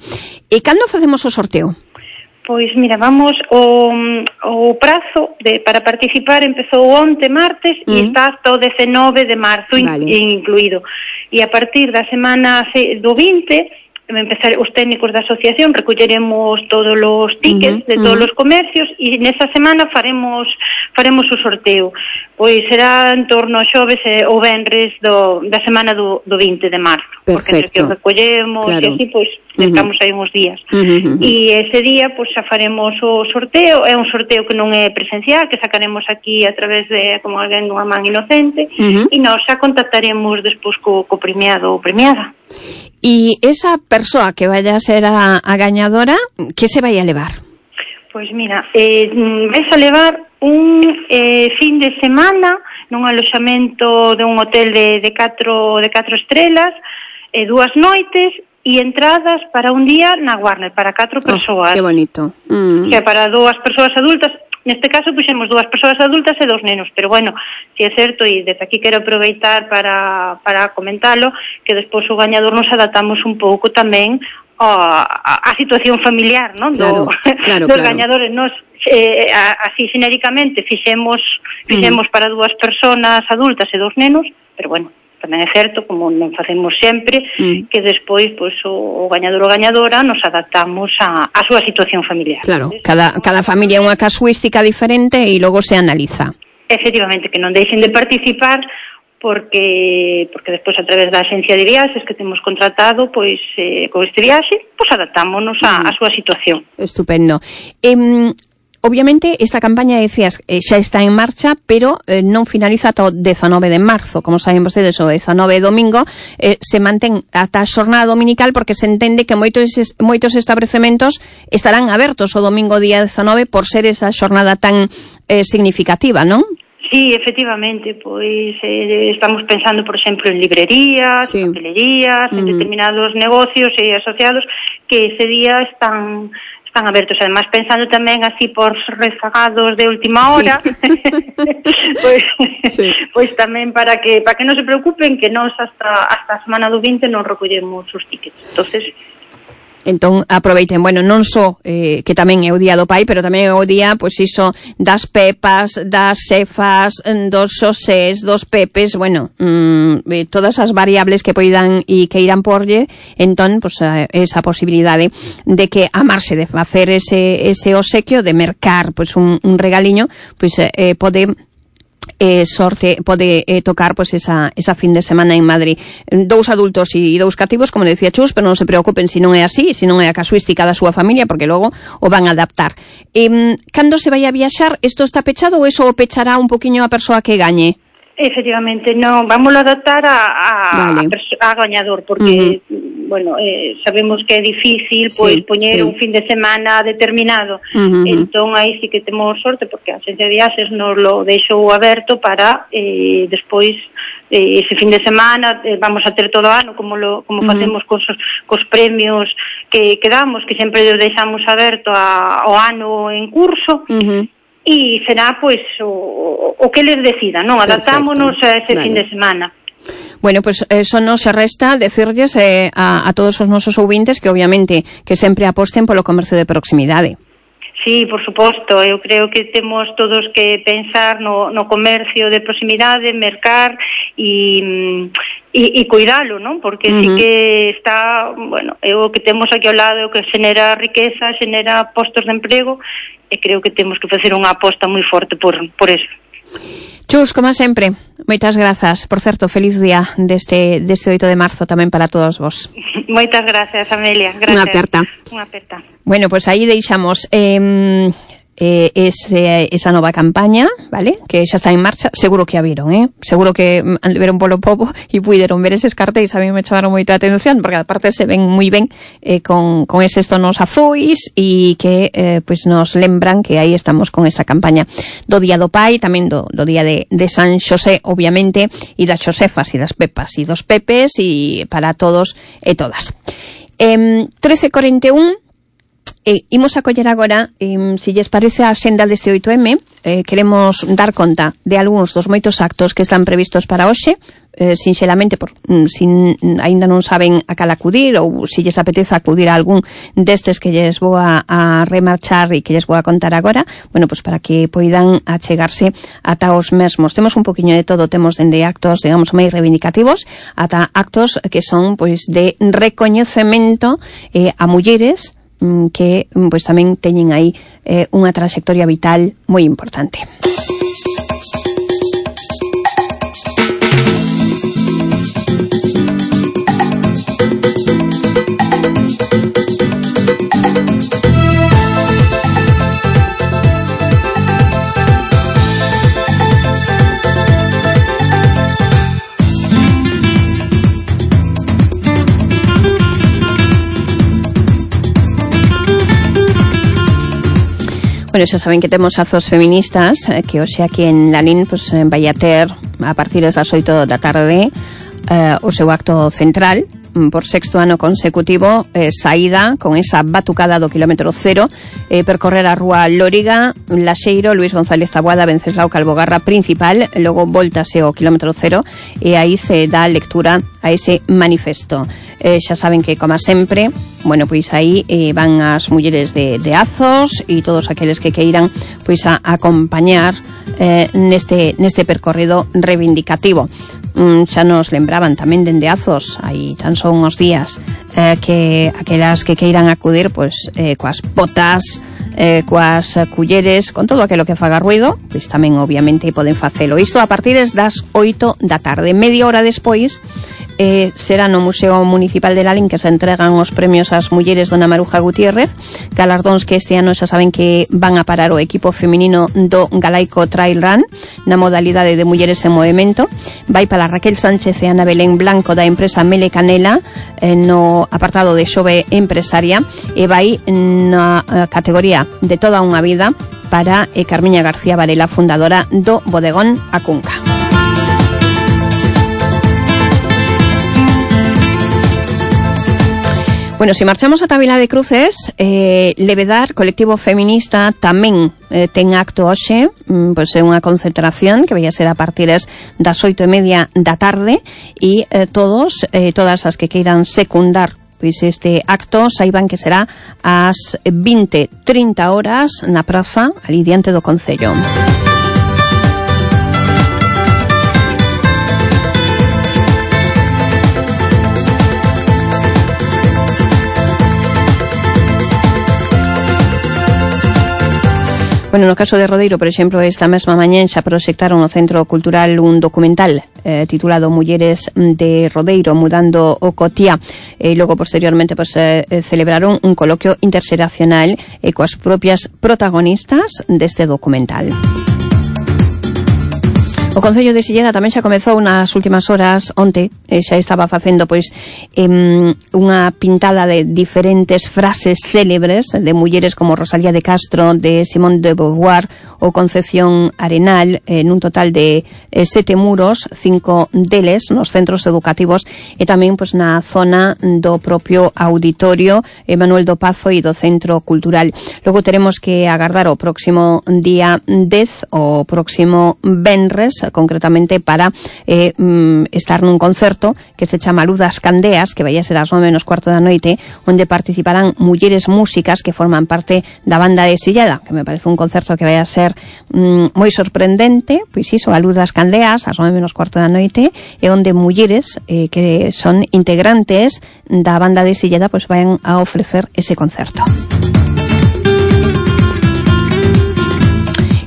E cando facemos o sorteo? Pois mira, vamos, o, o prazo de, para participar empezou onte martes mm. e está hasta o dezenove de marzo, vale. in, incluído. E a partir da semana do vinte empezar os técnicos da asociación recolleremos todos os tickets uh-huh, de todos uh-huh. os comercios e nesa semana faremos faremos o sorteo. Pois será en torno a xoves ou venres do, da semana do, do vinte de marzo. Perfecto. Porque entre que os recollemos claro. e así, pois, estamos uh-huh. aí uns días. Uh-huh. E ese día, pois, xa faremos o sorteo. É un sorteo que non é presencial, que sacaremos aquí a través de, como alguén dunha man inocente, uh-huh. e nós xa contactaremos despois co, co premiado ou premiada. E esa persoa que vaya a ser a, a gañadora, que se vai a levar? Pois mira, eh, vais a levar un eh, fin de semana nun aloxamento de un hotel de, de, catro, de catro estrelas, eh, dúas noites e entradas para un día na Warner, para catro persoas. Oh, que bonito. Mm. Que para dúas persoas adultas, neste caso puxemos dúas persoas adultas e dous nenos, pero bueno, si é certo, e desde aquí quero aproveitar para, para comentalo, que despois o gañador nos adaptamos un pouco tamén a, a, a situación familiar, non? Claro, Do, claro, dos claro. gañadores, nos eh, a, así xenéricamente fixemos fixemos mm. para dúas persoas adultas e dous nenos, pero bueno, tamén é certo, como non facemos sempre, mm. que despois pois, o, o gañador ou gañadora nos adaptamos a, a súa situación familiar. Claro, cada, cada familia é unha casuística diferente e logo se analiza. Efectivamente, que non deixen de participar porque porque despois a través da agencia de viaxes que temos contratado, pois eh, con este viaxe, pois adaptámonos a, a súa situación. Estupendo. Eh, Obviamente, esta campaña, decías, eh, xa está en marcha, pero eh, non finaliza ata o dezanove de marzo. Como saben vostedes, o dezanove de domingo eh, se mantén ata a xornada dominical porque se entende que moitos, moitos establecementos estarán abertos o domingo día dezanove por ser esa xornada tan eh, significativa, non? Sí, efectivamente, pois eh, estamos pensando, por exemplo, en librerías, sí. papelerías, mm. en determinados negocios e asociados que ese día están... están abertos, además pensando tamén así por rezagados de última hora, sí. pois, sí. pois tamén para que para que non se preocupen que nós hasta hasta a semana do vinte non recollemos os tickets. Entonces, Entón, aproveiten, bueno, non só eh, que tamén é o Día do Pai, pero tamén é o día, pois iso, das pepas, das xefas, dos xosés, dos pepes, bueno, mmm, todas as variables que poidan e que irán porlle, entón, pois, esa posibilidade de que amarse de facer ese, ese obsequio, de mercar, pois, un, un regaliño, pois, eh, pode eh, sorte pode eh, tocar pois pues, esa, esa fin de semana en Madrid. Dous adultos e dous cativos, como decía Chus, pero non se preocupen se non é así, se non é a casuística da súa familia, porque logo o van a adaptar. Eh, cando se vai a viaxar, isto está pechado ou eso o pechará un poquinho a persoa que gañe? Efectivamente, non, vamos a adaptar a, a, vale. a, a gañador, porque, uh-huh. bueno, eh, sabemos que é difícil, pois, sí, poñer sí. un fin de semana determinado, uh-huh. entón aí sí que temos sorte, porque a Axencia de Viaxes nos lo deixou aberto para, eh, despois, eh, ese fin de semana, eh, vamos a ter todo o ano, como lo, como uh-huh. facemos cos, cos premios que, que damos, que sempre os deixamos aberto a, ao ano en curso, uh-huh. e será, pois, o, o que les decida, non? Adaptámonos a ese vale. fin de semana. Bueno, pues eso nos se resta decirles eh, a, a todos os nosos ouvintes que obviamente que sempre aposten polo comercio de proximidade. Sí, por suposto, eu creo que temos todos que pensar no, no comercio de proximidade, mercar e, e, e cuidalo, non? Porque uh-huh. sí que está, bueno, é o que temos aquí ao lado, o que xenera riqueza, xenera postos de emprego, e creo que temos que facer unha aposta moi forte por, por eso. Chus, como sempre, moitas grazas. Por certo, feliz día deste, deste oito de marzo tamén para todos vos. Moitas grazas, Amelia. Gracias. Unha aperta. Unha aperta. Bueno, pues aí deixamos eh, eh, ese, esa nova campaña, vale? Que xa está en marcha. Seguro que a viron, eh? Seguro que viron polo pobo e puideron ver eses cartéis. A mí me chamaron moito a atención, porque aparte se ven moi ben eh, con, con eses tonos azuis e que eh, pues nos lembran que aí estamos con esta campaña do Día do Pai, tamén do, do Día de, de San Xosé, obviamente, e das Xosefas e das Pepas e dos Pepes e para todos e todas. Eh, trece cuarenta e un. Eh, imos a coller agora, eh, se lles parece a xenda deste oito eme, eh, queremos dar conta de algúns dos moitos actos que están previstos para hoxe, eh, sinxelamente, por, mm, sin aínda non saben a cal acudir, ou se lles apetece acudir a algún destes que lles vou a, a remarchar e que lles vou a contar agora, bueno, pues para que poidan achegarse ata os mesmos. Temos un poquinho de todo, temos dende actos, digamos, máis reivindicativos, ata actos que son, pois, de recoñecemento eh, a mulleres que pois tamén teñen aí eh, unha trayectoria vital moi importante. Bueno, xa saben que temos azos feministas eh, que hoxe aquí en Lalín pues, eh, vai a ter a partir das oito da tarde eh, o seu acto central por sexto ano consecutivo, eh, saída con esa batucada do kilómetro cero, eh, percorrer a rúa Lóriga, Laxeiro, Luis González Taboada, Venceslao Calvogarra principal, logo voltase ao kilómetro cero e aí se dá lectura a ese manifesto. Eh, xa saben que, como sempre, bueno, pois aí eh, van as mulleres de, de Azos e todos aqueles que queiran pois a, a acompañar eh, neste, neste percorrido reivindicativo. Mm, xa nos lembraban tamén dende Azos, aí tan só uns días, eh, que aquelas que queiran acudir pois eh, coas botas, eh, coas culleres, con todo aquilo que faga ruido, pois tamén obviamente poden facelo. Isto a partir das oito da tarde, media hora despois. Eh, será no Museo Municipal de Lalín que se entregan os premios ás mulleres Dona Maruja Gutiérrez, galardóns que este ano xa saben que van a parar o equipo feminino do Galaico Trail Run na modalidade de mulleres en movimento. Vai para Raquel Sánchez e Ana Belén Blanco da empresa Mele Canela eh, no apartado de xove empresaria, e vai na eh, categoría de toda unha vida para eh, Carmiña García Varela, fundadora do Bodegón A Cunca. Bueno, se si marchamos a Tabela de Cruces, eh, Levedar, colectivo feminista, tamén eh, ten acto hoxe, mm, pois é unha concentración que vai a ser a partir das oito e media da tarde, e eh, todos, eh, todas as que queiran secundar pois este acto, saiban que será ás vinte trinta horas na praza, ali diante do Concello. Bueno, no caso de Rodeiro, por exemplo, esta mesma mañén xa proxectaron no Centro Cultural un documental eh, titulado Mulleres de Rodeiro, mudando o Cotía. E eh, logo, posteriormente, pues, eh, celebraron un coloquio interxeracional eh, coas propias protagonistas deste documental. O Concello de Silleda tamén xa comezou nas últimas horas, onte, eh, xa estaba facendo pois eh, unha pintada de diferentes frases célebres de mulleres como Rosalía de Castro, de Simone de Beauvoir ou Concepción Arenal, eh, nun total de eh, sete muros, cinco deles nos centros educativos e tamén pois na zona do propio auditorio eh, Manuel do Pazo e do Centro Cultural. Logo teremos que agardar o próximo día dez, o próximo venres, concretamente para eh, mm, estar nun concerto que se chama Luz das Candeas, que vai a ser ás nove menos cuarto da noite, onde participarán mulleres músicas que forman parte da banda de Silleda, que me parece un concerto que vai a ser mm, moi sorprendente, pois iso, a Luz das Candeas, ás nove menos cuarto da noite, e onde mulleres eh, que son integrantes da banda de Silleda pois van a ofrecer ese concerto.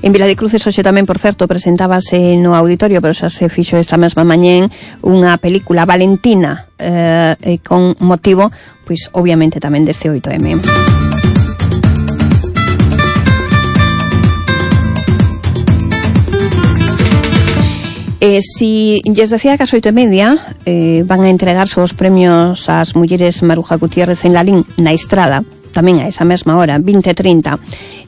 En Vila de Cruces hoxe tamén, por certo, presentábase no auditorio, pero xa se fixo esta mesma mañén, unha película Valentina eh, con motivo, pois obviamente tamén deste oito eme. Eh, si lles decía que as oito e media eh, van a entregarse os premios ás mulleres Maruja Gutiérrez en Lalín na Estrada, tamén a esa mesma hora, vinte e trinta,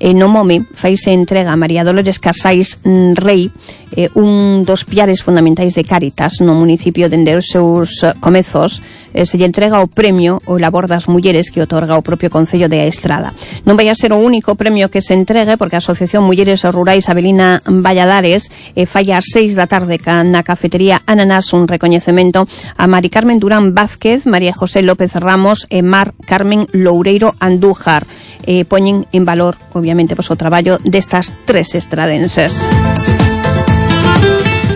eh, no Mome faise entrega a María Dolores Casais Rei, eh, un dos piares fundamentais de Cáritas no municipio dende os seus uh, comezos. Eh, se lle entrega o premio o labor das mulleres que otorga o propio Concello de Estrada. Non vai a ser o único premio que se entregue, porque a Asociación Mulleres Rurais Avelina Valladares eh, fai ás seis da tarde na cafetería Ananás un recoñecemento a Mari Carmen Durán Vázquez, María José López Ramos e Mar Carmen Loureiro Andújar. Eh, poñen en valor, obviamente, pues, o traballo destas tres estradenses.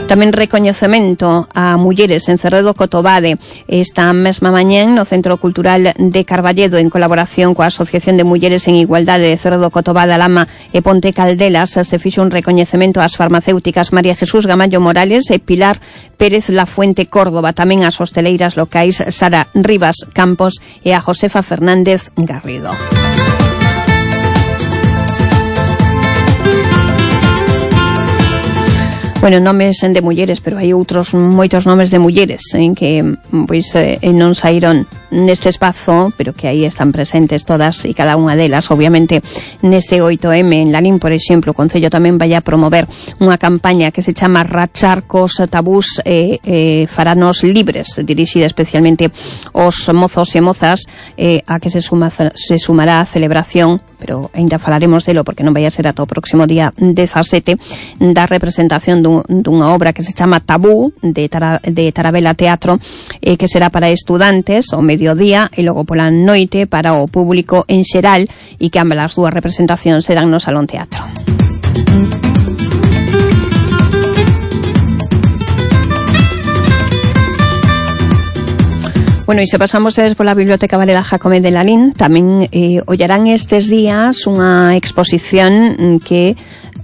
Tamén recoñecemento a mulleres en Cerredo Cotobade esta mesma mañén no Centro Cultural de Carballedo, en colaboración coa Asociación de Mulleres en Igualdade de Cerredo Cotobade, Alama e Ponte Caldelas. Se fixo un recoñecemento ás farmacéuticas María Jesús Gamallo Morales e Pilar Pérez Lafuente Córdoba, tamén ás hosteleiras locais Sara Rivas Campos e a Josefa Fernández Garrido. Bueno, nomes de mulleres, pero hai outros moitos nomes de mulleres en que pois eh, non saíron neste espazo, pero que aí están presentes todas e cada unha delas. Obviamente, neste oito eme en Lalín, por exemplo, o Concello tamén vai a promover unha campaña que se chama Rachar cos tabús e eh, eh, faranos libres, dirixida especialmente aos mozos e mozas, eh, a que se, suma, se sumará a celebración, pero ainda falaremos delo porque non vai a ser ata o próximo día dezasete, da representación dun dunha obra que se chama Tabú de, Tara, de Tarabela Teatro, eh, que será para estudantes ao mediodía e logo pola noite para o público en xeral, e que ambas as dúas representacións serán no Salón Teatro. Bueno, e se pasamos desde pola Biblioteca Varela Jacome de Lalín, tamén eh, ollarán estes días unha exposición que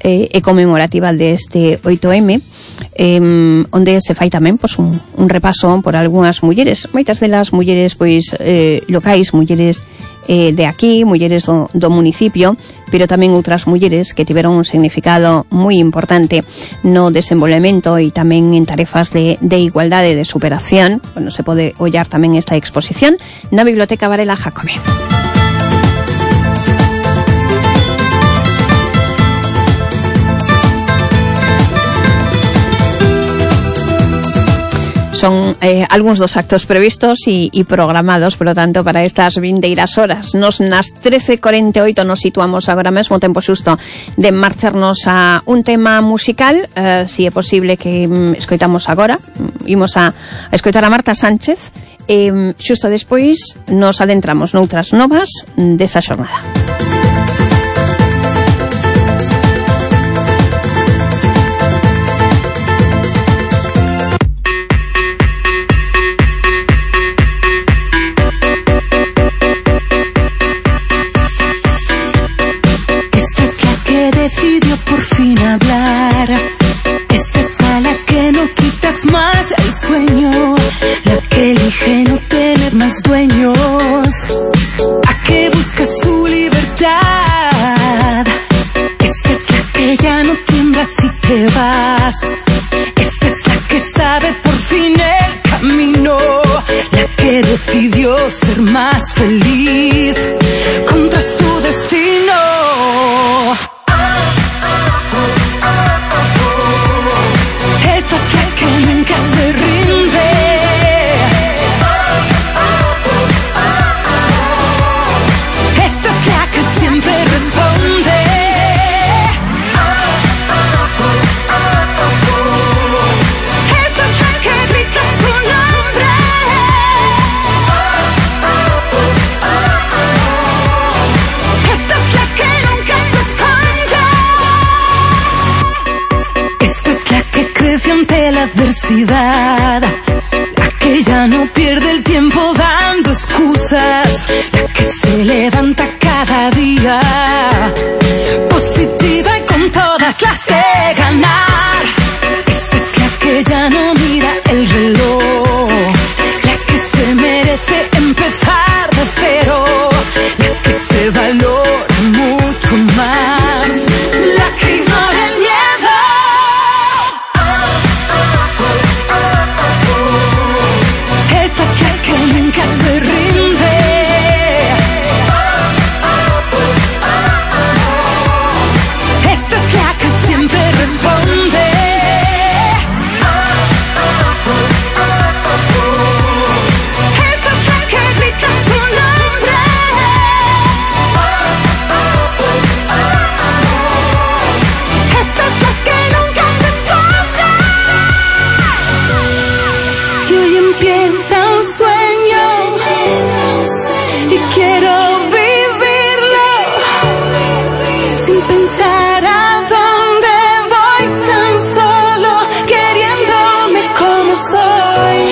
eh, é conmemorativa deste oito eme, eh, onde se fai tamén pois, un, un repaso por algunhas mulleres, moitas delas mulleres pois eh, locais, mulleres eh, de aquí, mulleres do, do municipio, pero tamén outras mulleres que tiveron un significado moi importante no desenvolvemento e tamén en tarefas de, de igualdade, de superación. Bueno, se pode ollar tamén esta exposición na Biblioteca Varela Jacome. Son eh, algúns dos actos previstos e, e programados, por lo tanto, para estas vindeiras horas. Nos nas trece e cuarenta e oito nos situamos agora mesmo, tempo xusto de marcharnos a un tema musical, eh, si é posible que mm, escoitamos agora. Imos a, a escoitar a Marta Sánchez, e xusto despois nos adentramos noutras novas desta xornada. Decido hablar. Esta es a la que no quitas más el sueño, la que elige no tener más dueños, a que busca su libertad. Esta es la que ya no tiembla si te vas. Esta es la que sabe por fin el camino, la que decidió ser más feliz contra su destino. Esta es la que nunca se rinde. Esta es la que siempre responde. Esta es la que grita su nombre. Esta es la que nunca se esconde. Esta es la que crece ante la adversidad, la que ya no pierde el tiempo dando excusas, la que se levanta cada día positiva y con todas las de ganar. Esta es la que ya no mira el reloj, la que se merece empezar de cero, la que se valora mucho más, la que ignora el miedo. Esta es la que nunca se rinde. Esta es la que siempre responde. Esta es la que grita su nombre. Esta es la que nunca se esconde. Y hoy empieza un sueño y quiero vivirlo sin pensar a dónde voy, tan solo queriéndome como soy.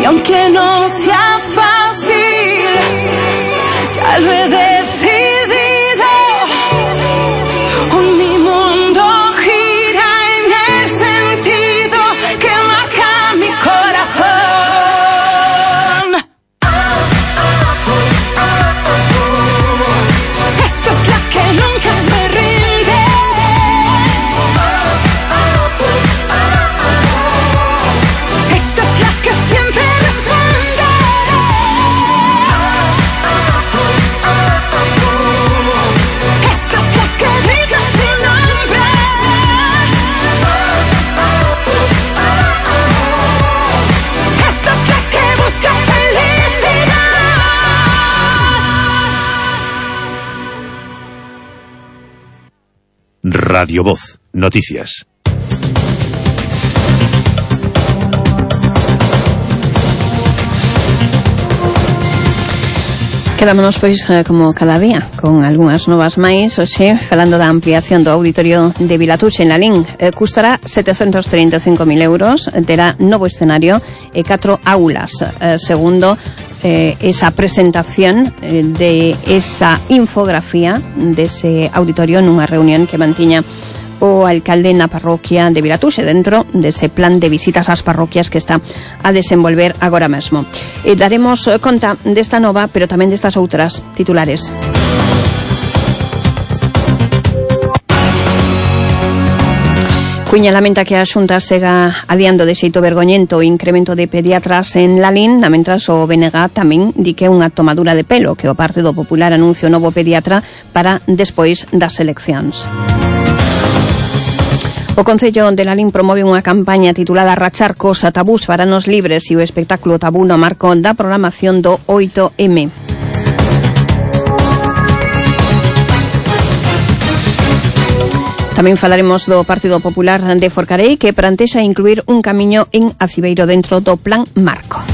Y aunque no sea fácil, ya lo he decidido. Hoy mi mundo gira en el sentido que marca mi corazón. Esta es la que nunca se rinde. Esta es la que siempre responde. Esta es la que grita su nombre. Esta es la que busca felicidad. Radio Voz, noticias. Quedámonos, pois, eh, como cada día, con algunhas novas máis. Oxe, falando da ampliación do auditorio de Vilatuxe en Lalín, eh, custará setecentos treinta e cinco mil euros, terá novo escenario e catro aulas, eh, segundo eh, esa presentación eh, de esa infografía dese auditorio nunha reunión que mantiña o alcalde na parroquia de Vilatuxe dentro dese plan de visitas ás parroquias que está a desenvolver agora mesmo. E daremos conta desta nova, pero tamén destas outras titulares. Cuña lamenta que a Xunta sega adiando de xeito vergoñento o incremento de pediatras en Lalín, mentras o B N G tamén di que é unha tomadura de pelo que o Partido Popular anuncia o novo pediatra para despois das eleccións. O Concello de Lalín promove unha campaña titulada Rachar cos tabús faranos libres e o espectáculo tabú no marco da programación do oito eme. Tamén falaremos do Partido Popular de Forcarei, que plantexa incluir un camiño en Acibeiro dentro do Plan Marco.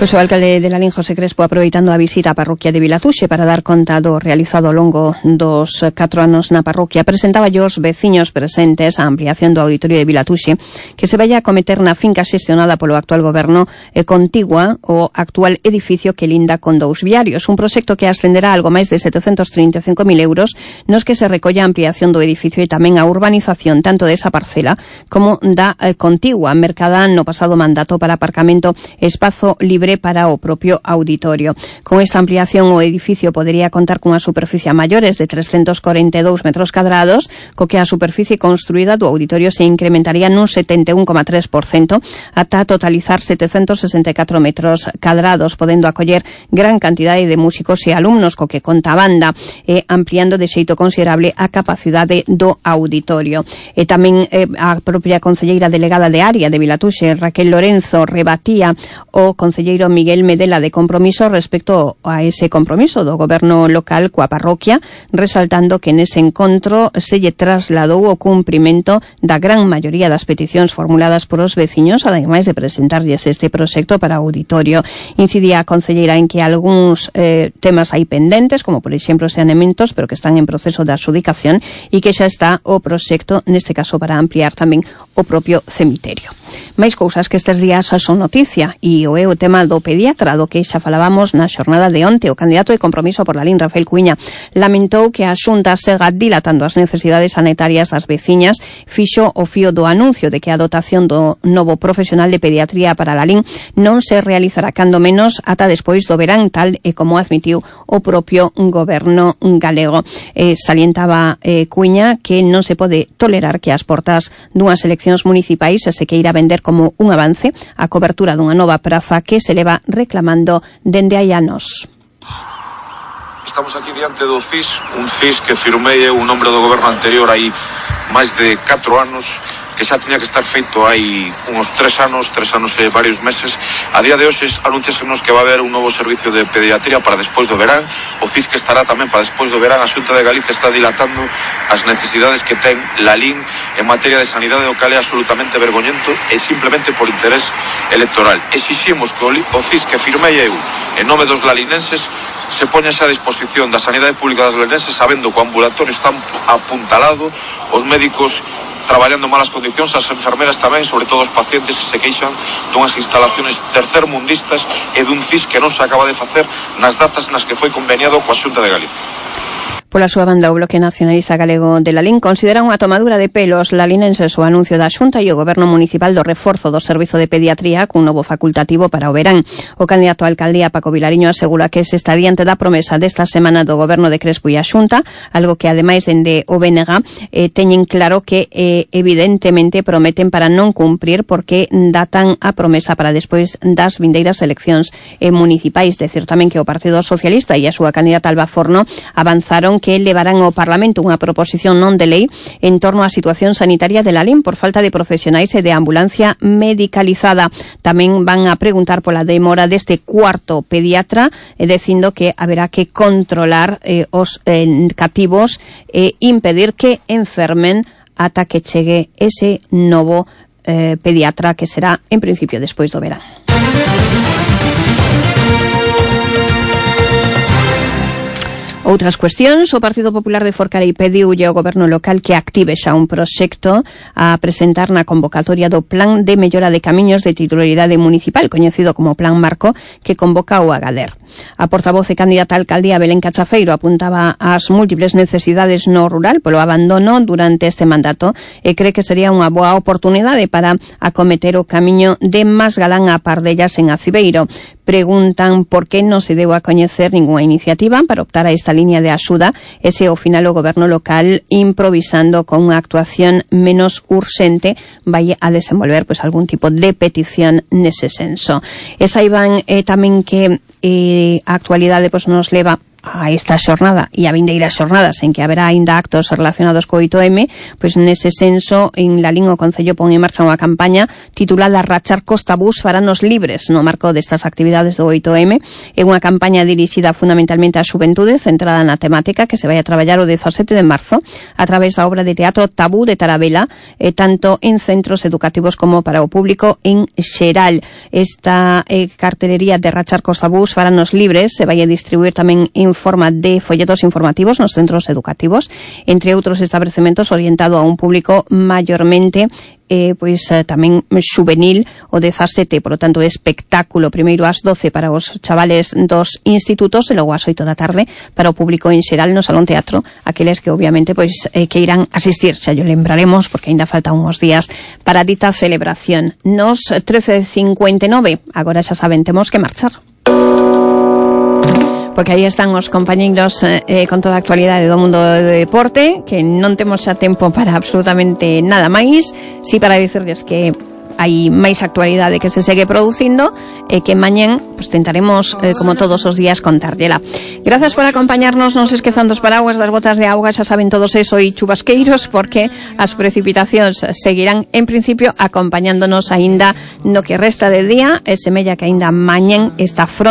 Pois o alcalde de Lalín, José Crespo, aproveitando a visita á parroquia de Vilatuxe para dar conta do realizado ao longo dos catro anos na parroquia, presentaba aos veciños presentes a ampliación do auditorio de Vilatuxe que se vai a cometer na finca xestionada polo actual goberno e contigua o actual edificio que linda con dous viarios, un proxecto que ascenderá algo máis de setecentos trinta e cinco mil euros nos que se recolla a ampliación do edificio e tamén a urbanización tanto desa parcela como da eh, contigua, mercada no pasado mandato para aparcamento e espazo libre para o propio auditorio. Con esta ampliación o edificio podería contar cunha superficie a maiores de trescentos corenta e dous metros cadrados, co que a superficie construída do auditorio se incrementaría nun setenta e un coma tres por cento ata totalizar setecentos sesenta e catro metros cadrados, podendo acoller gran cantidade de músicos e alumnos, co que conta a banda, e ampliando de xeito considerable a capacidade do auditorio. E tamén eh, a propia concelleira delegada de área de Vilatuxe, Raquel Lorenzo, rebatía o concelleiro Miguel Medela de Compromiso respecto a ese compromiso do goberno local coa parroquia, resaltando que nese encontro se lle trasladou o cumprimento da gran maioría das peticións formuladas por os veciños, ademais de presentarlles este proxecto para o auditorio. Incidía a concelleira en que algúns eh, temas hai pendentes, como por exemplo saneamentos, pero que están en proceso de adxudicación e que xa está o proxecto, neste caso para ampliar tamén o propio cemiterio. Máis cousas que estes días son noticia e o é o tema do pediatra, do que xa falábamos na xornada de onte. O candidato de Compromiso por Lalín, Rafael Cuíña, lamentou que a Xunta sega dilatando as necesidades sanitarias das veciñas, fixo o fío do anuncio de que a dotación do novo profesional de pediatría para Lalín non se realizará cando menos ata despois do verán, tal e como admitiu o propio goberno galego. Eh, salientaba eh, Cuíña que non se pode tolerar que as portas dunhas eleccións municipais se queira vender como un avance a cobertura dunha nova praza que se leva reclamando dende hai anos. Estamos aquí diante do C I S, un C I S que firmei un nombre do goberno anterior hai máis de catro anos, que xa tiña que estar feito hai uns tres anos, tres anos e varios meses. A día de hoxe anunciasenos que va a haber un novo servicio de pediatría para despois do verán, o C I S que estará tamén para despois do verán. A Xunta de Galicia está dilatando as necesidades que ten Lalín en materia de sanidade, o cal é absolutamente vergoñento e simplemente por interés electoral. Exiximos que o C I S que firmei eu en nome dos lalinenses se poña xa a disposición da sanidade pública das lalinenses, sabendo que o ambulatorio está apuntalado, os médicos traballando en malas condicións, as enfermeras tamén, sobre todo os pacientes que se queixan dunhas instalaciones tercermundistas e dun C I S que non se acaba de facer nas datas nas que foi conveniado coa Xunta de Galicia. Pola súa banda, o Bloque Nacionalista Galego de Lalín considera unha tomadura de pelos lalinenses o anuncio da Xunta e o Goberno Municipal do reforzo do servizo de pediatría cun novo facultativo para o verán. O candidato a alcaldía, Paco Vilariño, asegura que se está diante da promesa desta semana do Goberno de Crespo e a Xunta, algo que ademais dende o B N G eh, teñen claro que eh, evidentemente prometen para non cumprir porque datan a promesa para despois das vindeiras eleccións eh, municipais. Decir tamén que o Partido Socialista e a súa candidata Alba Forno avanzaron que levarán ao Parlamento unha proposición non de lei en torno á situación sanitaria de Lalín por falta de profesionais e de ambulancia medicalizada. Tamén van a preguntar pola demora deste cuarto pediatra, eh, dicindo que haberá que controlar eh, os eh, cativos e impedir que enfermen ata que chegue ese novo eh, pediatra que será en principio despois do verán. Outras cuestións, o Partido Popular de Forcarei pediulle ao goberno local que active xa un proxecto a presentar na convocatoria do Plan de Mellora de Camiños de Titularidade Municipal, coñecido como Plan Marco, que convoca o Agader. A portavoz e candidata a alcaldía Belén Cachafeiro apuntaba ás múltiples necesidades no rural polo abandono durante este mandato e cree que sería unha boa oportunidade para acometer o camiño de Masgalán a Pardellas en Acibeiro. Preguntan por que non se deu a coñecer ninguna iniciativa para optar a esta línea de axuda e se ao final o goberno local, improvisando con unha actuación menos urxente, vai a desenvolver pois algún tipo de petición nese senso. E saiban eh, tamén que eh, a actualidade pois nos leva a esta xornada e a vindeiras xornadas en que haberá ainda actos relacionados co oito eme, pois nese senso en Lalín o Concello pon en marcha unha campaña titulada Rachar Costa Bus faranos libres no marco destas actividades do oito eme. É unha campaña dirixida fundamentalmente á xuventude, centrada na temática que se vai a traballar o dezasete de marzo a través da obra de teatro Tabú de Tarabela, eh, tanto en centros educativos como para o público en xeral. Esta eh, cartelería de Rachar Costa Bus faranos libres se vai a distribuir tamén en forma de folletos informativos nos centros educativos, entre outros establecementos orientado a un público maiormente eh, pois eh, tamén xuvenil o dezasete, por lo tanto espectáculo primeiro ás doce para os chavales dos institutos e logo ás oito da tarde para o público en xeral no Salón Teatro, aqueles que obviamente pois eh, que irán asistir, xa yo lembraremos porque ainda falta uns días para dita celebración. Nos trece cincuenta e nove, agora xa saben, temos que marchar. Porque aí están os compañeiros eh, con toda a actualidade do mundo do deporte, que non temos xa tempo para absolutamente nada máis, si para dicirles que hai máis actualidade que se segue producindo e que mañán pues, tentaremos, eh, como todos os días, contárllela. Gracias por acompañarnos, non se esquezan dos paraguas, das botas de auga, xa saben todos eso, e chubasqueiros, porque as precipitacións seguirán en principio acompañándonos aínda no que resta de día, e semella que aínda mañán esta fronte